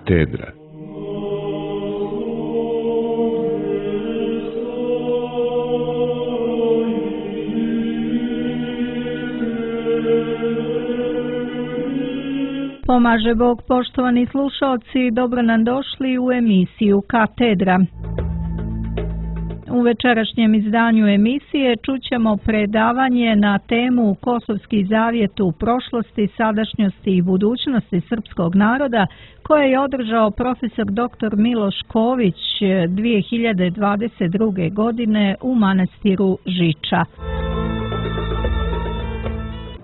Katedra. Pomaže Bog, poštovani slušalci, dobro nam došli u emisiju Katedra. U večerašnjem izdanju emisije čućemo predavanje na temu Kosovski zavjet u prošlosti, sadašnjosti i budućnosti srpskog naroda koje je održao profesor dr. Miloš Ković 2022. godine u manastiru Žiča.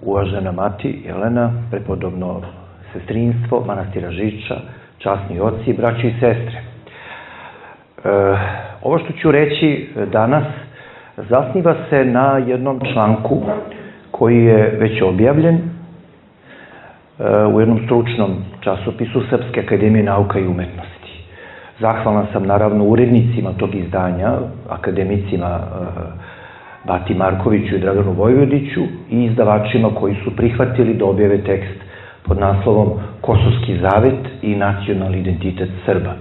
Uvažena mati Jelena, prepodobno sestrinstvo manastira Žiča, časni oci, braći i sestre. Ovo što ću reći danas zasniva se na jednom članku koji je već objavljen u jednom stručnom časopisu Srpske akademije nauka i umetnosti. Zahvalan sam naravno urednicima tog izdanja, akademicima Bati Markoviću i Draganu Vojvodiću i izdavačima koji su prihvatili da objave tekst pod naslovom Kosovski zavet i nacionalni identitet Srba.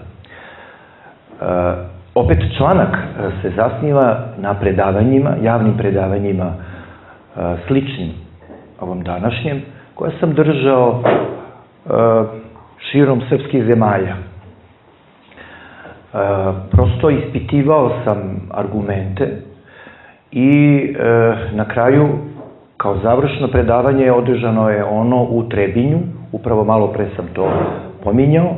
Opet članak se zasniva na predavanjima, javnim predavanjima sličnim ovom današnjem, koje sam držao širom srpskih zemalja. Prosto ispitivao sam argumente i na kraju, kao završno predavanje, održano je ono u Trebinju, upravo malo pre sam to pominjao,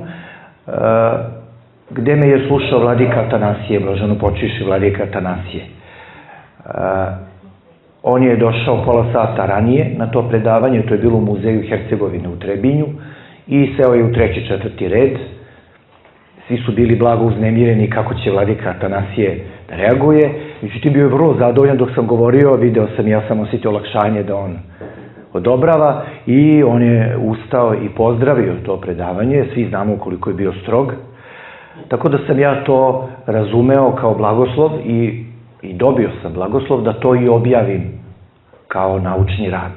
gde me je slušao vladika Atanasije, blaženopočivši vladika Atanasije. On je došao pola sata ranije na to predavanje, to je bilo u muzeju Hercegovine u Trebinju, i seo je u treći, četvrti red. Svi su bili blago uznemireni kako će vladika Atanasije da reaguje. Međutim, bio je vrlo zadovoljan dok sam govorio, video sam, ja sam osjetio olakšanje da on odobrava i on je ustao i pozdravio to predavanje. Svi znamo koliko je bio strog. Tako da sam ja to razumeo kao blagoslov i dobio sam blagoslov da to i objavim kao naučni rad.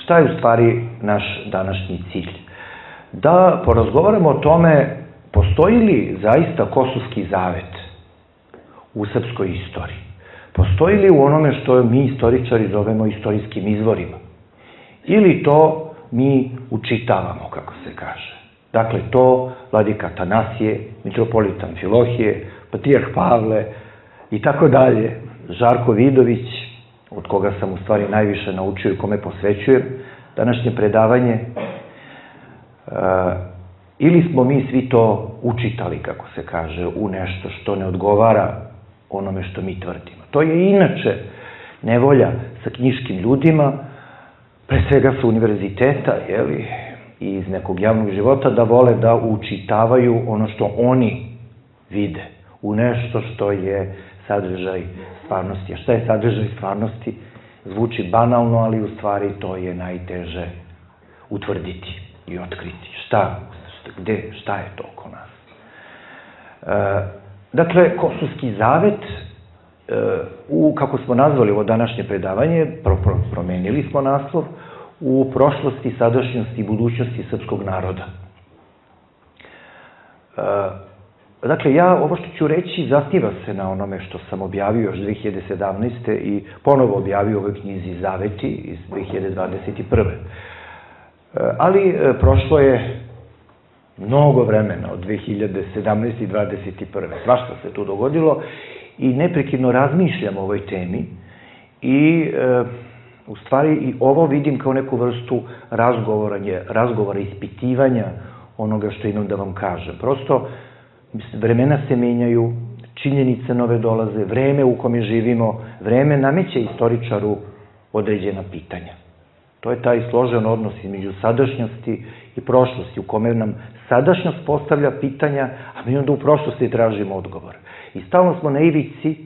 Šta je u stvari naš današnji cilj? Da porazgovaramo o tome postoji li zaista Kosovski zavet u srpskoj istoriji. Postoji li u onome što mi istoričari zovemo istorijskim izvorima? Ili to mi učitavamo, kako se kaže. Dakle, to vladika Atanasije, mitropolit Amfilohije, patrijarh Pavle i tako dalje, Žarko Vidović, od koga sam u stvari najviše naučio i kome posvećujem današnje predavanje, ili smo mi svi to učitali, kako se kaže, u nešto što ne odgovara onome što mi tvrdimo. To je inače nevolja sa knjiškim ljudima, pre svega sa univerziteta, i iz nekog javnog života, da vole da učitavaju ono što oni vide u nešto što je sadržaj stvarnosti. A šta je sadržaj stvarnosti? Zvuči banalno, ali u stvari to je najteže utvrditi i otkriti. Šta je to oko nas? Dakle, Kosovski zavet, kako smo nazvali ovo današnje predavanje, promenili smo naslov, u prošlosti, sadašnjosti i budućnosti srpskog naroda. Dakle, ovo što ću reći zasniva se na onome što sam objavio još 2017. i ponovo objavio u ovoj knjizi Zaveti iz 2021. Ali prošlo je mnogo vremena od 2017. i 2021. Svašta se tu dogodilo i neprekidno razmišljam o ovoj temi i u stvari i ovo vidim kao neku vrstu razgovora, ispitivanja onoga što imam da vam kažem. Prosto, vremena se menjaju, činjenice nove dolaze, vreme u kome živimo, vreme nameće istoričaru određena pitanja. To je taj složen odnos između sadašnjosti i prošlosti, u kome nam sadašnjost postavlja pitanja, a mi onda u prošlosti tražimo odgovor. I stalno smo na ivici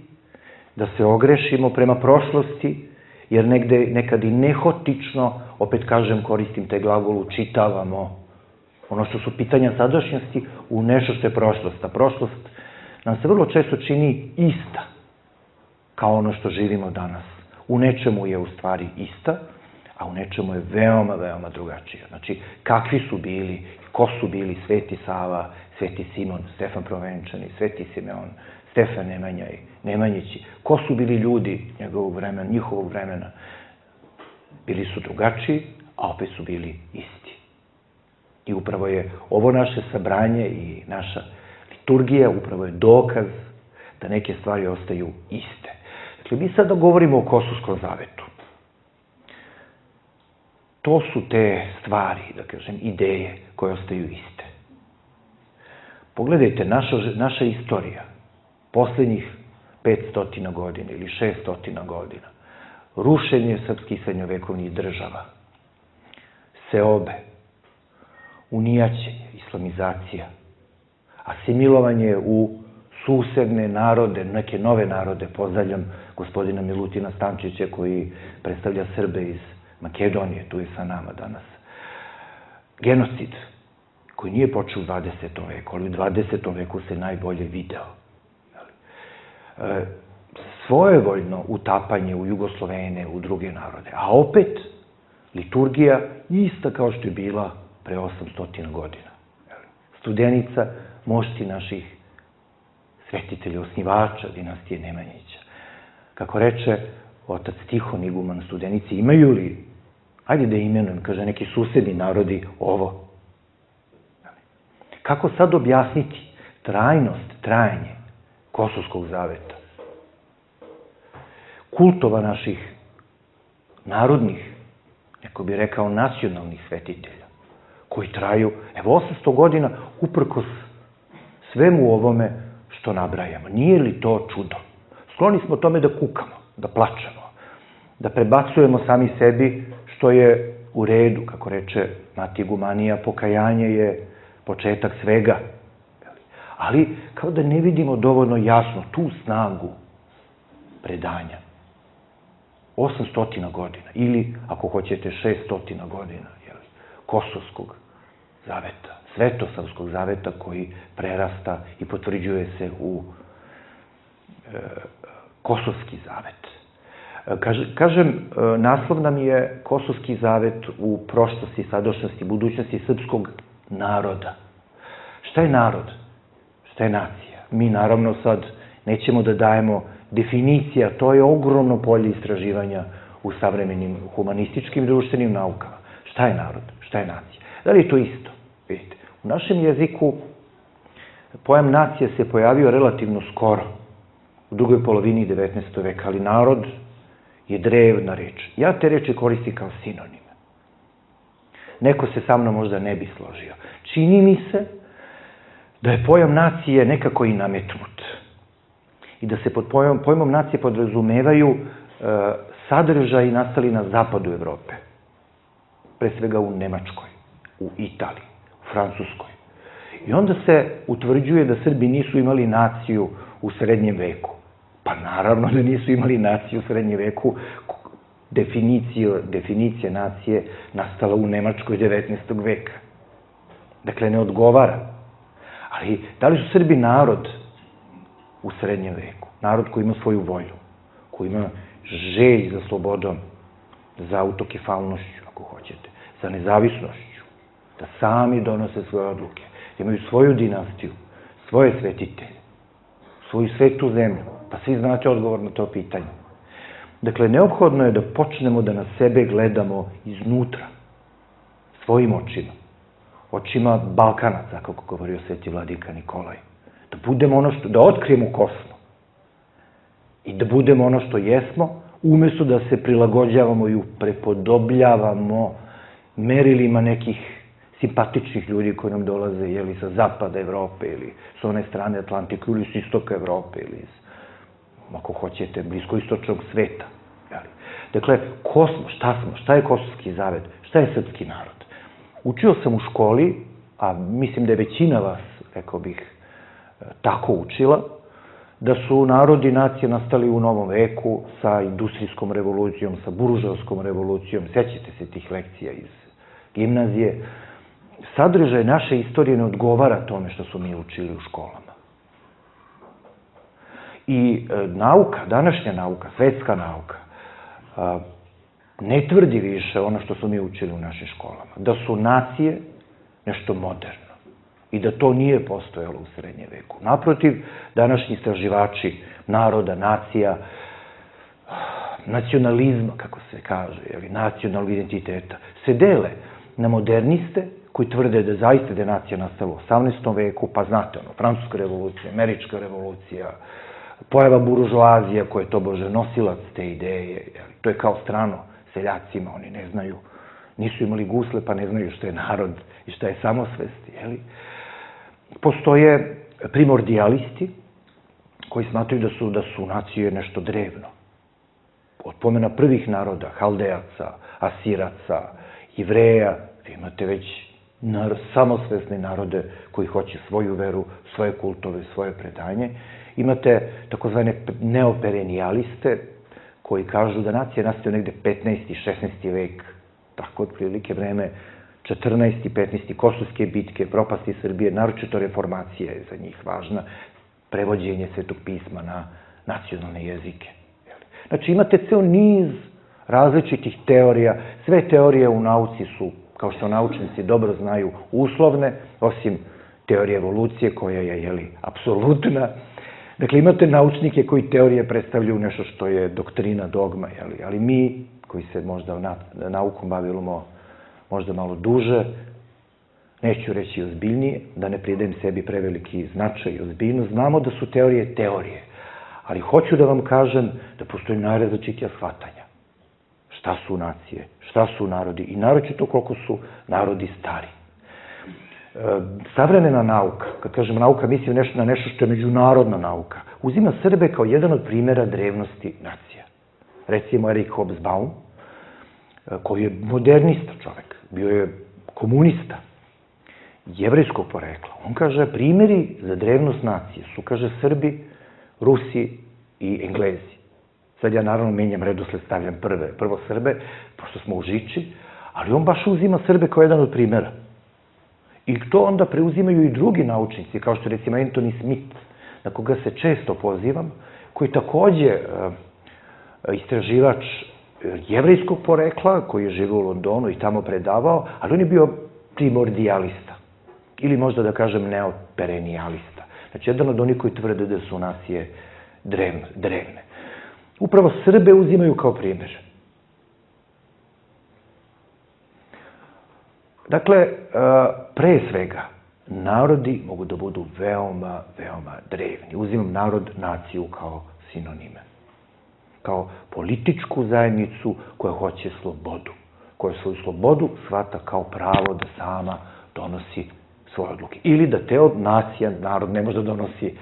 da se ogrešimo prema prošlosti, jer nekad i nehotično, opet kažem, koristim taj glagol, učitavamo ono što su pitanja sadašnjosti u nešto što je prošlost. A prošlost nam se vrlo često čini ista kao ono što živimo danas. U nečemu je u stvari ista, a u nečemu je veoma, veoma drugačija. Znači, kakvi su bili, ko ko su bili Sveti Sava, Sveti Simon, Stefan Prvenčani, Sveti Simeon, Stefan Nemanja i Nemanjići. Ko su bili ljudi njihovog vremena? Bili su drugačiji, a opet su bili isti. I upravo je ovo naše sabranje i naša liturgija upravo je dokaz da neke stvari ostaju iste. Dakle, mi sada govorimo o Kosovskom zavetu. To su te stvari, da kažem, ideje koje ostaju iste. Pogledajte, naša istorija, poslednjih 500 godina ili 600 godina, rušenje srpskih srednjovekovnih država, seobe, unijaćenje, islamizacija, asimilovanje u susedne narode, neke nove narode, pozdravljam gospodina Milutina Stančića koji predstavlja Srbe iz Makedonije, tu je sa nama danas. Genocid, koji nije počeo u 20. veku, ali u 20. veku se najbolje video. Svojevoljno utapanje u Jugoslovene, u druge narode, a opet liturgija ista kao što je bila pre 800 godina. Studenica mošti naših svetitelja, osnivača dinastije Nemanjića. Kako reče otac Tihon iguman Studenici, imaju li, ajde da imenujem, kaže neki susedni narodi ovo. Kako sad objasniti trajanje Kosovskog zaveta? Kultova naših narodnih, neko bi rekao nacionalnih svetitelja, koji traju, evo 800 godina, uprkos svemu ovome što nabrajamo. Nije li to čudo? Skloni smo tome da kukamo, da plačemo, da prebacujemo sami sebi, što je u redu, kako reče Mati Igumanija, pokajanje je početak svega. Ali kao da ne vidimo dovoljno jasno tu snagu predanja. 800 godina ili, ako hoćete, 600 godina Kosovskog zaveta, Svetosavskog zaveta koji prerasta i potvrđuje se u Kosovski zavet. Kažem, naslov nam je Kosovski zavet u prošlosti, sadašnjosti, budućnosti srpskog naroda. Šta je narod? Šta je nacija? Mi naravno sad nećemo da dajemo definicija, to je ogromno polje istraživanja u savremenim humanističkim društvenim naukama. Šta je narod? Šta je nacija? Da li je to isto? Vidite, u našem jeziku pojam nacija se pojavio relativno skoro, u drugoj polovini 19. veka, ali narod je drevna reč. Ja te reči koristim kao sinonime. Neko se sa mnom možda ne bi složio. Čini mi se da je pojam nacije nekako i nametnut. I da se pod pojmom nacije podrazumevaju sadržaji nastali na zapadu Evrope. Pre svega u Nemačkoj, u Italiji, u Francuskoj. I onda se utvrđuje da Srbi nisu imali naciju u srednjem veku. Pa naravno da nisu imali naciju u srednjem veku. Definicija nacije nastala u Nemačkoj 19. veka. Dakle, ne odgovara. Ali da li su Srbi narod u srednjem veku? Narod koji ima svoju volju, koji ima želj za slobodom, za autokefalnošću, ako hoćete, za nezavisnošću, da sami donose svoje odluke, da imaju svoju dinastiju, svoje svetitelje, svoju svetu zemlju. Pa svi znate odgovor na to pitanje. Dakle, neophodno je da počnemo da na sebe gledamo iznutra, svojim očima, očima Balkanaca, kako govorio sveti vladika Nikolaj. Da budemo ono što, da otkrijemo ko smo i da budemo ono što jesmo, umesto da se prilagođavamo i prepodobljavamo merilima nekih simpatičnih ljudi koji nam dolaze ili sa zapada Evrope ili s one strane Atlantika ili s istoka Evrope ili iz, ako hoćete, bliskoistočnog sveta. Dakle, ko smo, šta smo, šta je Kosovski zavet, šta je srpski narod? Učio sam u školi, a mislim da je većina vas, rekao bih, tako učila, da su narodi i nacije nastali u novom veku sa industrijskom revolucijom, sa buržovskom revolucijom. Sjećate se tih lekcija iz gimnazije. Sadržaj naše istorije ne odgovara tome što su mi učili u školama. I nauka, današnja nauka, svetska nauka, ne tvrdi više ono što smo mi učili u našim školama. Da su nacije nešto moderno i da to nije postojalo u srednjem veku. Naprotiv, današnji istraživači naroda, nacija, nacionalizma, kako se kaže, nacionalnog identiteta, se dele na moderniste koji tvrde da zaista je nacija nastala u 18. veku, pa znate, Francuska revolucija, Američka revolucija, pojava buržoazija koja je tobože nosilac te ideje, to je kao strano seljacima, oni ne znaju, nisu imali gusle pa ne znaju što je narod i šta je samosvest. Postoje primordijalisti koji smatruju da su nacije nešto drevno. Od pomena prvih naroda, Haldejaca, Asiraca, Jevreja, vi imate već samosvesne narode koji hoće svoju veru, svoje kultove, svoje predanje. Imate takozvane neoperenijaliste koji kažu da nacija nastaje negde 15. i 16. vek, tako otprilike vreme 14. i 15. kosovske bitke, propasti Srbije, naročito reformacija je za njih važna, prevođenje Svetog pisma na nacionalne jezike. Znači imate ceo niz različitih teorija, sve teorije u nauci su, kao što naučnici dobro znaju, uslovne, osim teorije evolucije koja je, apsolutna. Dakle, imate naučnike koji teorije predstavljaju nešto što je doktrina, dogma, ali mi, koji se možda naukom bavimo možda malo duže, neću reći ozbiljnije, da ne pridajem sebi preveliki značaj i ozbiljnost, znamo da su teorije teorije, ali hoću da vam kažem da postoji najrazličitija shvatanja. Šta su nacije, šta su narodi i naročito koliko su narodi stari. Savremena nauka, kad kažem nauka, mislim na nešto što je međunarodna nauka, uzima Srbe kao jedan od primjera drevnosti nacija. Recimo Erik Hobsbawm, koji je modernista čovek, bio je komunista, jevrejskog porekla. On kaže, primjeri za drevnost nacije su, kaže, Srbi, Rusi i Englezi. Sad ja naravno menjam redosled, stavljam prvo Srbe, pošto smo u žiči, ali on baš uzima Srbe kao jedan od primjera. I to onda preuzimaju i drugi naučnici, kao što recimo Anthony Smith, na koga se često pozivam, koji je takođe istraživač jevrejskog porekla, koji je živio u Londonu i tamo predavao, ali on je bio primordijalista, ili možda da kažem neoperenijalista. Znači, jedan od onih koji tvrde da su nacije drevne. Upravo Srbe uzimaju kao primjer. Dakle, pre svega, narodi mogu da budu veoma, veoma drevni. Uzimam narod, naciju kao sinonime. Kao političku zajednicu koja hoće slobodu. Koja svoju slobodu shvata kao pravo da sama donosi svoje odluke. Ili da te nacija, narod ne može da donosi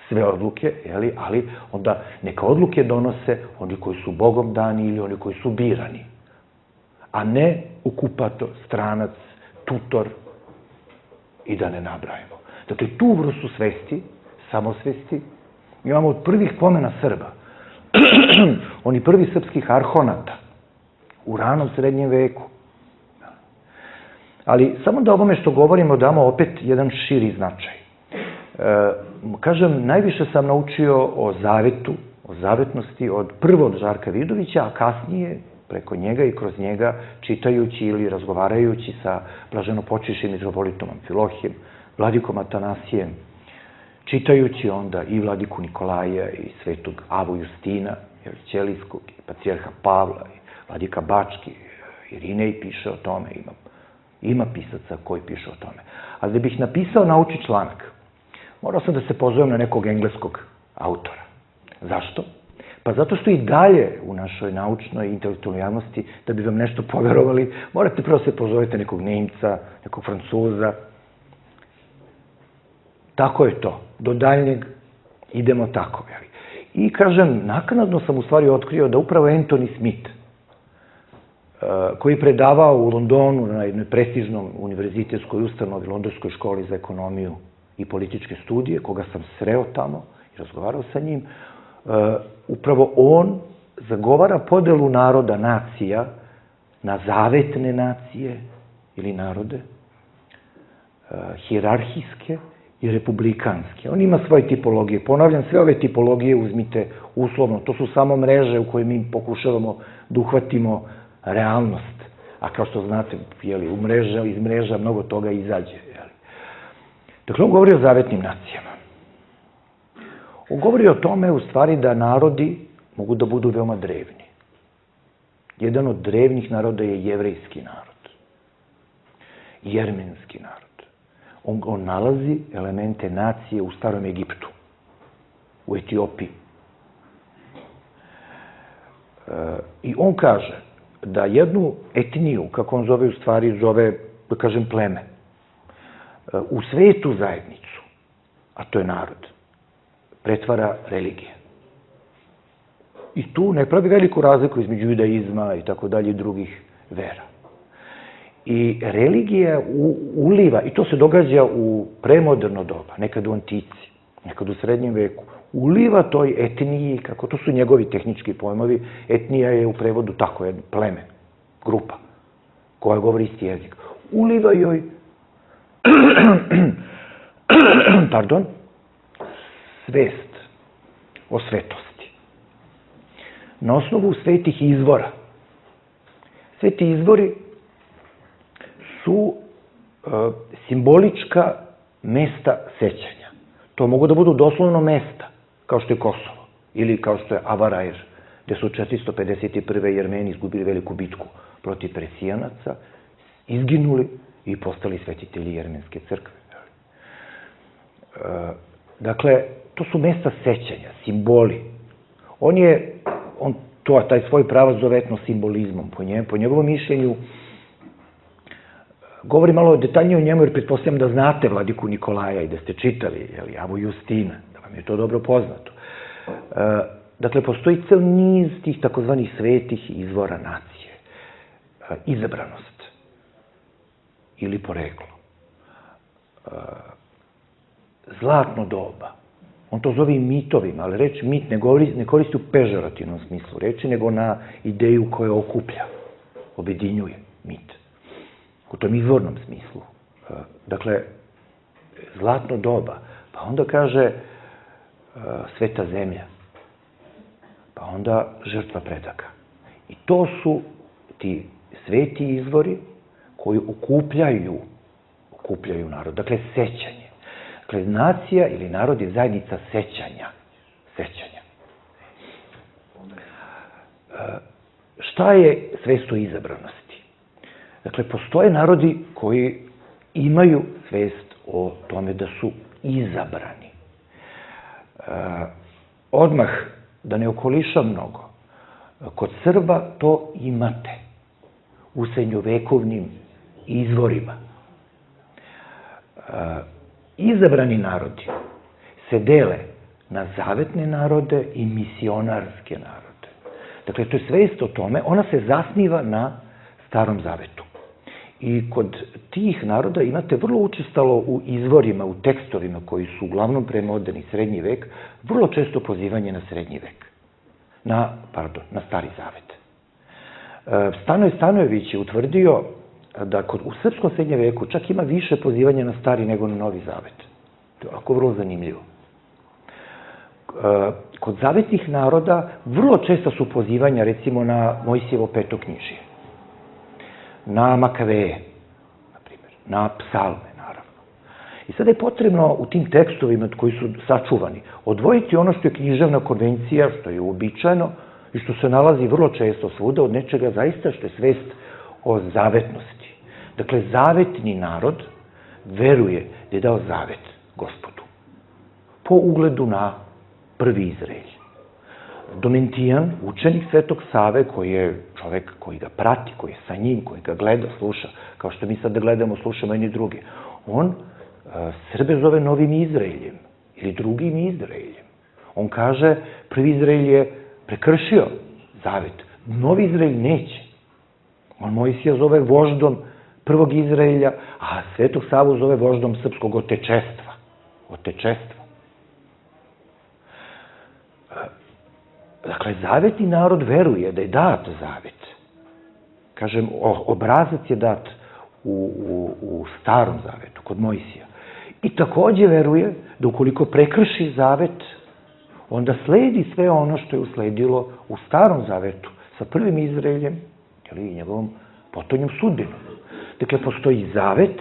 sve odluke, ali onda neka odluke donose oni koji su Bogom dani ili oni koji su birani. A ne okupator, stranac, tutor i da ne nabrajamo. Dakle, tu vrstu svesti, samosvesti, imamo od prvih pomena Srba. Oni prvi srpskih arhonata u ranom srednjem veku. Ali samo da ovome što govorimo damo opet jedan širi značaj. Kažem, najviše sam naučio o zavetu, o zavetnosti prvo od Žarka Vidovića, a kasnije preko njega i kroz njega čitajući ili razgovarajući sa blaženopočivšim mitropolitom Amfilohijem, vladikom Atanasijem, čitajući onda i vladiku Nikolaja i svetog Avu Justina, Ćelijskog, i patrijarha Pavla, i vladika Bački, Irinej piše o tome, ima pisaca koji piše o tome. Ali da bih napisao naučni članak, morao sam da se pozovem na nekog engleskog autora. Zašto? Pa zato što i dalje u našoj naučnoj i intelektualnoj javnosti, da bi vam nešto poverovali, morate prvo se pozovete nekog Nemca, nekog Francuza. Tako je to. Do daljnjeg idemo tako. I kažem, naknadno sam u stvari otkrio da upravo Anthony Smith, koji je predavao u Londonu na jednoj prestižnom univerzitetskoj ustanovi, Londonskoj školi za ekonomiju i političke studije, koga sam sreo tamo i razgovarao sa njim, upravo on zagovara podelu naroda, nacija, na zavetne nacije ili narode, hijerarhijske i republikanske. On ima svoje tipologije. Ponavljam, sve ove tipologije uzmite uslovno. To su samo mreže u koje mi pokušavamo da uhvatimo realnost. a kao što znate, iz mreža mnogo toga izađe. Dakle, on govori o zavetnim nacijama. On govori o tome, u stvari, da narodi mogu da budu veoma drevni. Jedan od drevnih naroda je jevrejski narod. Jermenski narod. On nalazi elemente nacije u starom Egiptu, u Etiopiji. I on kaže da jednu etniju, kako on zove, u stvari zove, da kažem, pleme, u svetu zajednicu, a to je narod, pretvara religija. I tu ne pravi veliku razliku između judaizma i tako dalje i drugih vera. I religija uliva, i to se događa u premoderno doba, nekad u antici, nekad u srednjem veku, uliva toj etniji, kako to su njegovi tehnički pojmovi, etnija je u prevodu tako, jedno pleme, grupa, koja govori isti jezik. Uliva joj svest o svetosti. Na osnovu svetih izvora. Sveti izvori su simbolička mesta sećanja. To mogu da budu doslovno mesta, kao što je Kosovo, ili kao što je Avarair, gde su 451. Jermeni izgubili veliku bitku protiv Persijanaca, izginuli i postali svetitelji Jermenske crkve. Dakle, to su mesta sećanja, simboli. On taj svoj pravac zove etnosimbolizmom. Po njegovom mišljenju, govori malo detaljnije o njemu, jer pretpostavljam da znate vladiku Nikolaja i da ste čitali Avu Justina, da vam je to dobro poznato. Dakle, postoji cel niz tih takozvanih svetih izvora nacije. Izabranost ili poreklo. Zlatno doba. On to zove i mitovima, ali reč mit ne koristi u pežorativnom smislu reči, nego na ideju koja okuplja, objedinjuje mit. U tom izvornom smislu. Dakle, zlatno doba. Pa onda kaže sveta zemlja. Pa onda žrtva predaka. I to su ti sveti izvori koji okupljaju narod. Dakle, sećanje. Dakle, nacija ili narod je zajednica sećanja. Šta je svest o izabranosti? Dakle, postoje narodi koji imaju svest o tome da su izabrani. Odmah, da ne okolišam mnogo, kod Srba to imate u srednjovekovnim izvorima. Izabrani narodi se dele na zavetne narode i misionarske narode. Dakle, to je svest o tome, ona se zasniva na Starom Zavetu. I kod tih naroda imate vrlo učestalo u izvorima, u tekstovima koji su uglavnom premoderni srednji vek, vrlo često pozivanje na srednji vek. Na Stari Zavet. Stanoje Stanojević je utvrdio da u srpskom srednjem veku čak ima više pozivanja na Stari nego na Novi Zavet. To je ovako vrlo zanimljivo. Kod zavetnih naroda vrlo često su pozivanja, recimo, na Mojsijevo petoknjižje, na Makaveje, na primjer, na psalme, naravno. I sada je potrebno u tim tekstovima koji su sačuvani odvojiti ono što je književna konvencija, što je uobičajeno i što se nalazi vrlo često svuda, od nečega zaista što je svest o zavetnosti. Dakle, zavetni narod veruje da je dao zavet Gospodu po ugledu na prvi Izraelj. Domentijan, učenik Svetog Save, koji je čovek koji ga prati, koji je sa njim, koji ga gleda, sluša, kao što mi sad da gledamo, slušamo jedni drugi, on Srbe zove novim Izraeljem ili drugim Izraeljem. On kaže, prvi Izraelj je prekršio zavet, novi Izraelj neće. On Mojsija zove voždom prvog Izraelja, a Svetog Savu zove voždom srpskog otečestva. Dakle, zavetni narod veruje da je dat zavet. Kažem, obrazac je dat u Starom Zavetu, kod Mojsija. I takođe veruje da ukoliko prekrši zavet, onda sledi sve ono što je usledilo u Starom Zavetu sa prvim Izraeljem i njegovom potonjom sudbinom. Dakle, postoji zavet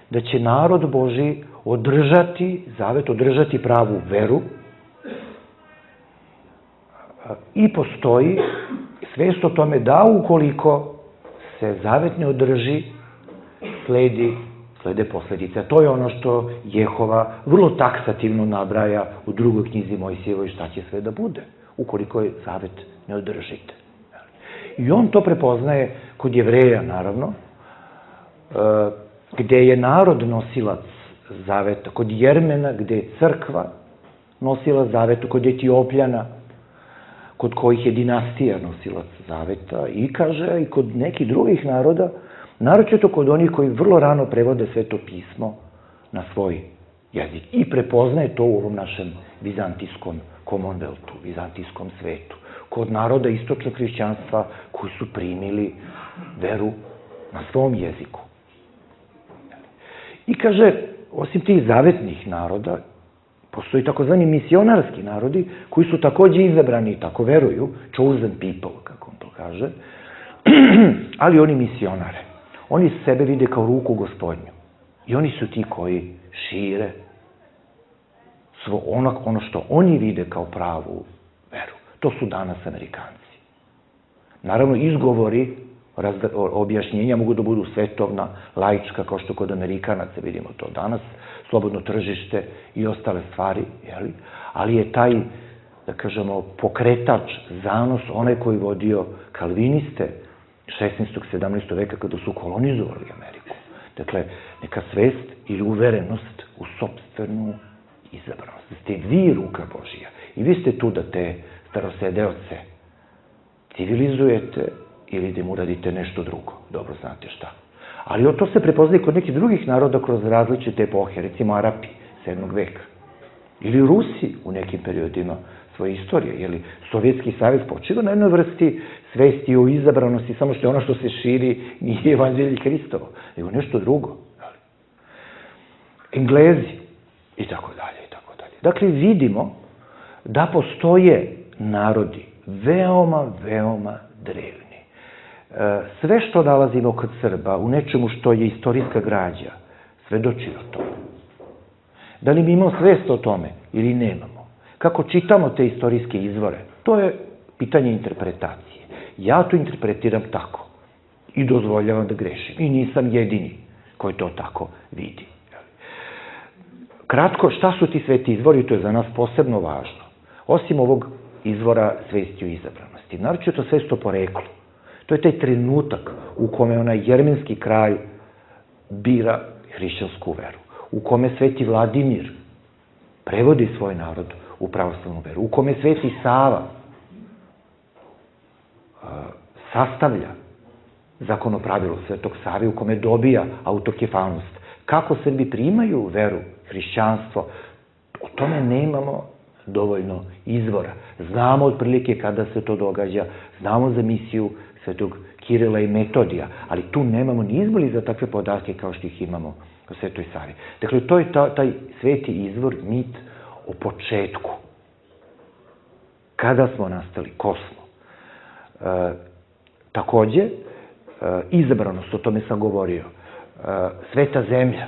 da će narod Božji održati pravu veru i postoji svest o tome da ukoliko se zavet ne održi, slede posledice. A to je ono što Jehova vrlo taksativno nabraja u drugoj knjizi Mojsijevoj šta će sve da bude, ukoliko je zavet ne održite. I on to prepoznaje kod Jevreja, naravno, gde je narod nosilac zaveta, kod Jermena, gde je crkva nosila zaveta, kod Etiopljana, kod kojih je dinastija nosilac zaveta, i kaže i kod nekih drugih naroda, naročito kod onih koji vrlo rano prevode Sveto pismo na svoj jezik i prepoznaje to u ovom našem vizantijskom Commonwealthu, vizantijskom svetu. Kod naroda istočnog hrišćanstva koji su primili veru na svom jeziku. I kaže, osim tih zavetnih naroda, postoji takozvani misionarski narodi koji su takođe izabrani i tako veruju, chosen people, kako on to kaže, ali oni misionare. Oni sebe vide kao ruku Gospodnju. I oni su ti koji šire ono što oni vide kao pravu veru. To su danas Amerikanci. Naravno, izgovori, objašnjenja mogu da budu svetovna, laička, kao što kod Amerikanaca vidimo to danas, slobodno tržište i ostale stvari, ali je taj, da kažemo, pokretač, zanos, onaj koji vodio kalviniste 16. 17. veka kada su kolonizovali Ameriku. Dakle, neka svest ili uverenost u sopstvenu izabranost. Da ste vi ruka Božija i vi ste tu da te starosedeoce civilizujete ili da im uradite nešto drugo. Dobro znate šta. Ali to se prepoznaje kod nekih drugih naroda kroz različite epohe, recimo Arapi 7. veka. Ili Rusi u nekim periodima svoje istorije, jer Sovjetski savez počiva na jednoj vrsti svesti o izabranosti, samo što je ono što se širi nije evanđelje Hristovo, nego nešto drugo. Englezi i tako dalje, i tako dalje. Dakle, vidimo da postoje narodi veoma, veoma drevni. Sve što nalazimo kod Srba u nečemu što je istorijska građa, svedoči o tome. Da li mi imamo svest o tome ili nemamo? Kako čitamo te istorijske izvore? To je pitanje interpretacije. Ja to interpretiram tako i dozvoljavam da grešim. I nisam jedini koji to tako vidi. Kratko, šta su ti sveti izvori? To je za nas posebno važno. Osim ovog izvora svesti o izabranosti. Naročito svest o poreklu. To je taj trenutak u kome onaj jermenski kralj bira hrišćansku veru. U kome sveti Vladimir prevodi svoj narod u pravoslavnu veru. U kome sveti Sava sastavlja zakonopravilo Svetog Save, u kome dobija autokefalnost. Kako Srbi primaju veru, hrišćanstvo, o tome nemamo dovoljno izvora. Znamo otprilike kada se to događa, znamo za misiju Svetog Kirila i Metodija, ali tu nemamo ni izboli za takve podatke kao što ih imamo u Svetoj Savi. Dakle, to je taj sveti izvor, mit o početku. Kada smo nastali, ko smo. Takođe, izabranost, o tome sam govorio, sveta zemlja.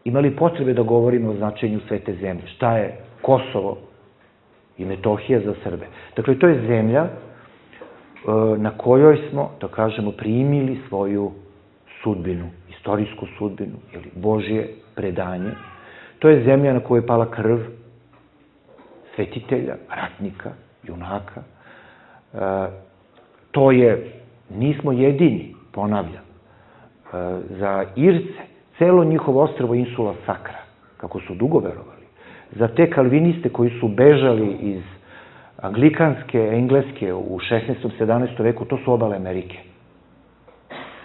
Imali potrebe da govorimo o značenju svete zemlje? Šta je Kosovo i Metohija za Srbe? Dakle, to je zemlja na kojoj smo, da kažemo, primili svoju sudbinu, istorijsku sudbinu, ili Božje predanje. To je zemlja na kojoj je pala krv svetitelja, ratnika, junaka. To je, nismo jedini, ponavljam, za Irce, celo njihovo ostrvo Insula Sacra, kako su dugo verovali, za te kalviniste koji su bežali iz anglikanske, engleske u 16. 17. veku, to su obale Amerike.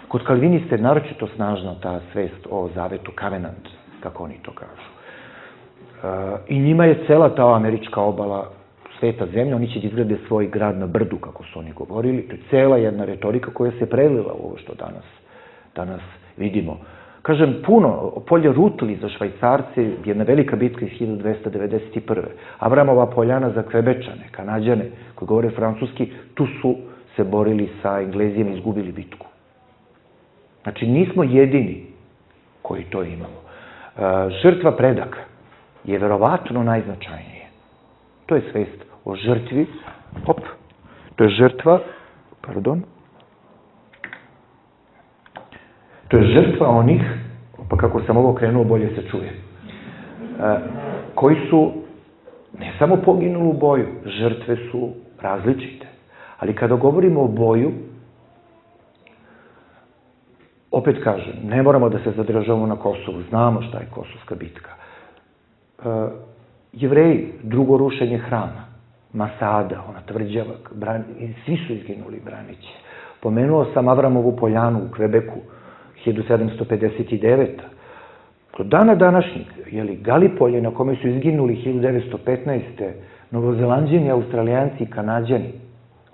Kod kalviniste je naročito snažna ta svest o zavetu, covenant, kako oni to kažu. I njima je cela ta američka obala sveta zemlja, oni će izgrade svoj grad na brdu, kako su oni govorili. To je cela jedna retorika koja se prelila u ovo što danas vidimo. Kažem, puno, polje Rutli za Švajcarce, jedna velika bitka iz 1291. Avramova poljana za Kvebečane, Kanađane, koji govore francuski, tu su se borili sa Englezijama i izgubili bitku. Znači, nismo jedini koji to imamo. Žrtva predaka je verovatno najznačajnije. To je svest o žrtvi, to je žrtva, to je žrtva onih, pa kako sam ovo krenuo, bolje se čuje, koji su ne samo poginuli u boju, žrtve su različite. Ali kada govorimo o boju, opet kažem, ne moramo da se zadržavamo na Kosovu, znamo šta je Kosovska bitka. Jevreji, drugo rušenje hrama, Masada, ona tvrđava, svi su izginuli braneći. Pomenuo sam Avramovu poljanu u Kvebeku, 1759. Do dana današnjeg, Galipolje na kome su izginuli 1915. Novozelanđani, Australijanci i Kanadjani,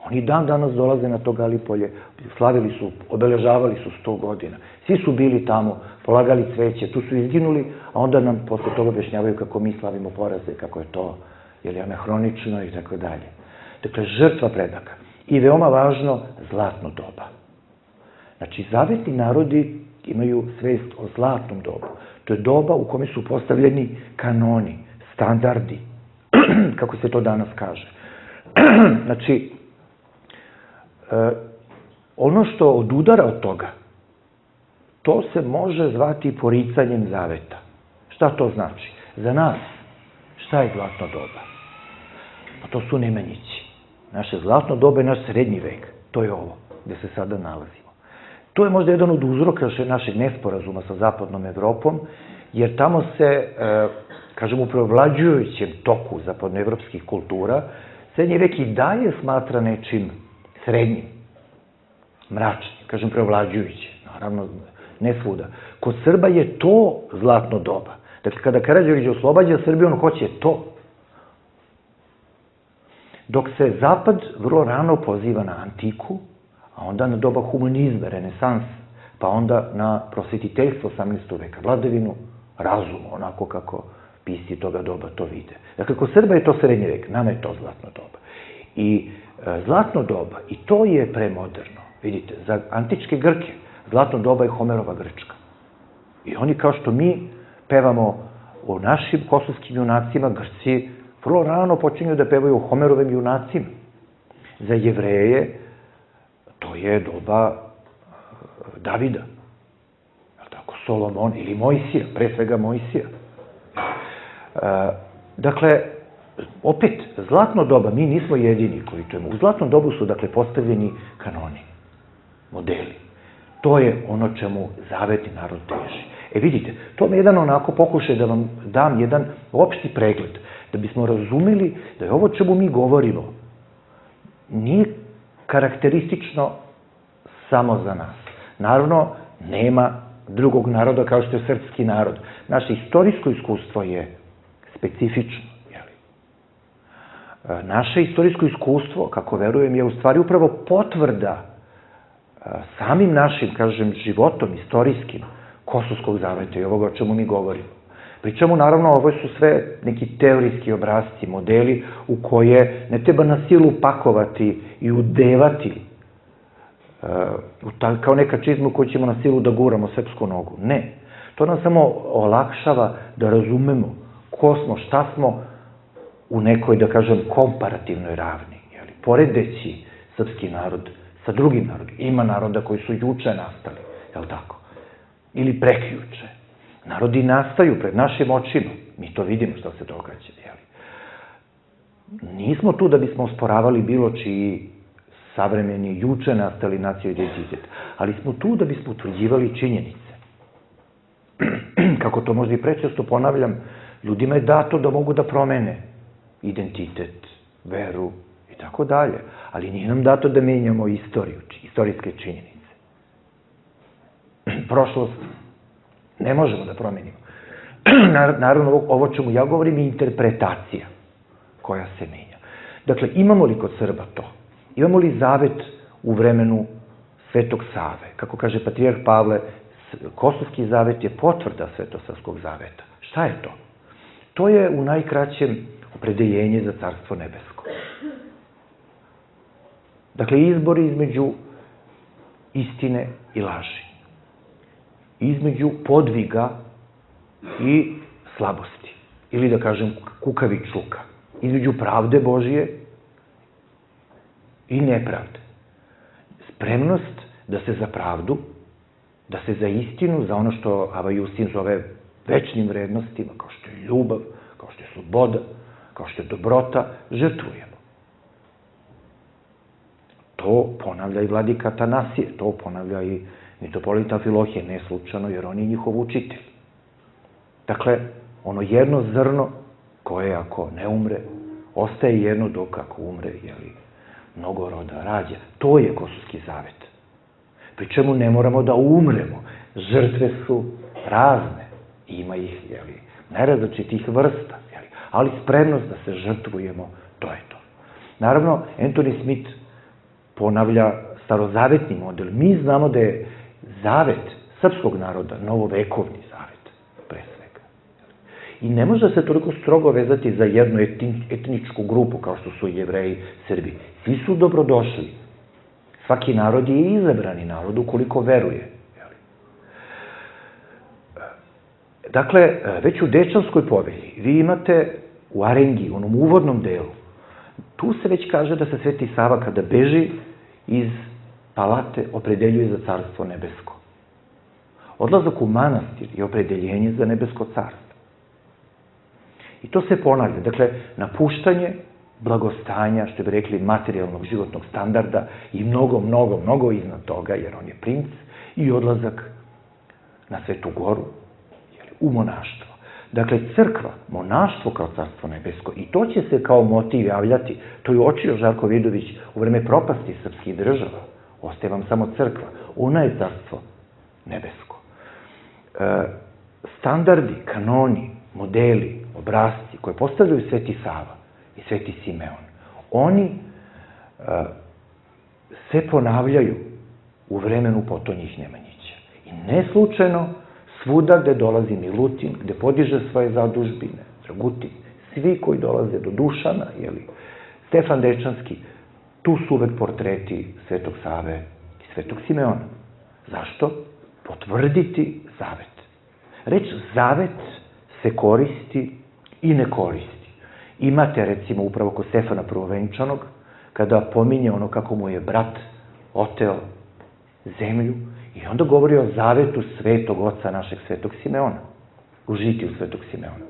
oni dan danas dolaze na to Galipolje, slavili su, obeležavali su 100 godina. Svi su bili tamo, polagali cveće, tu su izginuli, a onda nam posle toga objašnjavaju kako mi slavimo poraze, kako je to anahronično i tako dalje. Dakle, žrtva predaka. I veoma važno, zlatno doba. Znači, zavetni narodi imaju svest o zlatnom dobu. To je doba u kome su postavljeni kanoni, standardi, kako se to danas kaže. Znači, ono što odudara od toga, to se može zvati poricanjem zaveta. Šta to znači? Za nas, šta je zlatno doba? Pa to su Nemanjići. Naše zlatno doba je naš srednji vek. To je ovo, gde se sada nalazimo. To je možda jedan od uzroka našeg nesporazuma sa zapadnom Evropom, jer tamo se, kažem, u preovlađujućem toku zapadnoevropskih kultura, srednji vek i dalje smatra nečim srednjim, mračnim, kažem, preovlađujuće, naravno, ne svuda. Kod Srba je to zlatno doba. Dakle, kada Karađorđe oslobađa Srbiju, on hoće to. Dok se Zapad vrlo rano poziva na antiku, a onda na doba humanizma, renesansa, pa onda na prosvetiteljstvo 18. veka, vladavinu razuma, onako kako pisci toga doba to vide. Dakle, kod Srba je to srednji vek, nama je to zlatno doba. I zlatno doba, i to je premoderno, vidite, za antičke Grke, zlatno doba je Homerova Grčka. I oni, kao što mi pevamo o našim kosovskim junacima, Grci vrlo rano počinju da pevaju o Homerovim junacima. Za Jevreje to je doba Davida, Solomon ili Mojsija, pre svega Mojsija. Dakle, opet, zlatno doba, mi nismo jedini koji to imamo. U zlatnom dobu su, dakle, postavljeni kanoni, modeli. To je ono čemu zavetni narod teži. Vidite, to mi je jedan onako pokušaj da vam dam jedan opšti pregled, da bismo razumeli da je ovo čemu mi govorimo nije karakteristično samo za nas. Naravno, nema drugog naroda kao što je srpski narod. Naše istorijsko iskustvo je specifično. Naše istorijsko iskustvo, kako verujem, je u stvari upravo potvrda samim našim, kažem, životom istorijskim Kosovskog zaveta i ovoga o čemu mi govorimo. Pričamo, naravno, ovo su sve neki teorijski obrazci, modeli u koje ne treba na silu pakovati i udevati kao neka čizma koju ćemo na silu da guramo srpsku nogu. Ne. To nam samo olakšava da razumemo ko smo, šta smo u nekoj, da kažem, komparativnoj ravni. Poredeći srpski narod sa drugim narodima. Ima naroda koji su juče nastali, je li tako? Ili prekjuče. Narodi nastaju pred našim očima. Mi to vidimo što se događa, je li? Nismo tu da bismo osporavali bilo čiji savremeni, juče nastali nacionalni identitet, ali smo tu da bismo utvrđivali činjenice. Kako to možda i prečesto ponavljam, ljudima je dato da mogu da promene identitet, veru i tako dalje, ali nije nam dato da menjamo istoriju, istorijske činjenice. Prošlost ne možemo da promenimo. Naravno, ovo čemu ja govorim je interpretacija koja se menja. Dakle, imamo li kod Srba to? Imamo li zavet u vremenu Svetog Save? Kako kaže patrijarh Pavle, Kosovski zavet je potvrda Svetosavskog zaveta. Šta je to? To je u najkraćem opredeljenje za Carstvo nebesko. Dakle, izbor između istine i laži. Između podviga i slabosti. Ili da kažem kukavičluka. Između pravde Božije i nepravde. Spremnost da se za pravdu, da se za istinu, za ono što Ava Justin zove večnim vrednostima, kao što je ljubav, kao što je sloboda, kao što je dobrota, žrtvujemo. To ponavlja i vladika Atanasije, to ponavlja i mitropolita Amfilohije, ne slučajno, jer on je njihov učitelj. Dakle, ono jedno zrno koje ako ne umre, ostaje jedno, dok ako umre, mnogo roda rađa. To je Kosovski zavet. Pri čemu ne moramo da umremo. Žrtve su razne. Ima ih, nerazličitih vrsta. Ali spremnost da se žrtvujemo, to je to. Naravno, Anthony Smith ponavlja starozavetni model. Mi znamo da je zavet srpskog naroda novovekovni zavet, pre svega. I ne može se toliko strogo vezati za jednu etničku grupu, kao što su Jevreji, Srbi. Svi su dobrodošli. Svaki narod je izabrani narod ukoliko veruje. Dakle, već u Dečanskoj povelji vi imate u arengi, u onom uvodnom delu, tu se već kaže da se Sveti Sava kada beži iz palate opredeljuje za Carstvo nebesko. Odlazak u manastir je opredeljenje za nebesko carstvo. I to se ponavlja. Dakle, napuštanje blagostanja, što bi rekli, materijalnog životnog standarda i mnogo iznad toga, jer on je princ, i odlazak na Svetu Goru, u monaštvo. Dakle, crkva, monaštvo kao Carstvo nebesko, i to će se kao motiv javljati, to je uočio Žarko Vidović u vreme propasti srpskih država. Ostaje vam samo crkva. Ona je Carstvo nebesko. Standardi, kanoni, modeli, obrasci koje postavljaju Sveti Sava i Sveti Simeon, oni se ponavljaju u vremenu Potonjih Nemanjića. I ne slučajno svuda gde dolazi Milutin, gde podiže svoje zadužbine, Dragutin, svi koji dolaze do Dušana, Stefan Dečanski, tu su uvek portreti Svetog Save i Svetog Simeona. Zašto? Potvrditi zavet. Reč zavet se koristi i ne koristi. Imate, recimo, upravo kod Stefana Prvovenčanog, kada pominje ono kako mu je brat oteo zemlju, i onda govori o zavetu Svetog Oca našeg Svetog Simeona, u žitiju Svetog Simeona.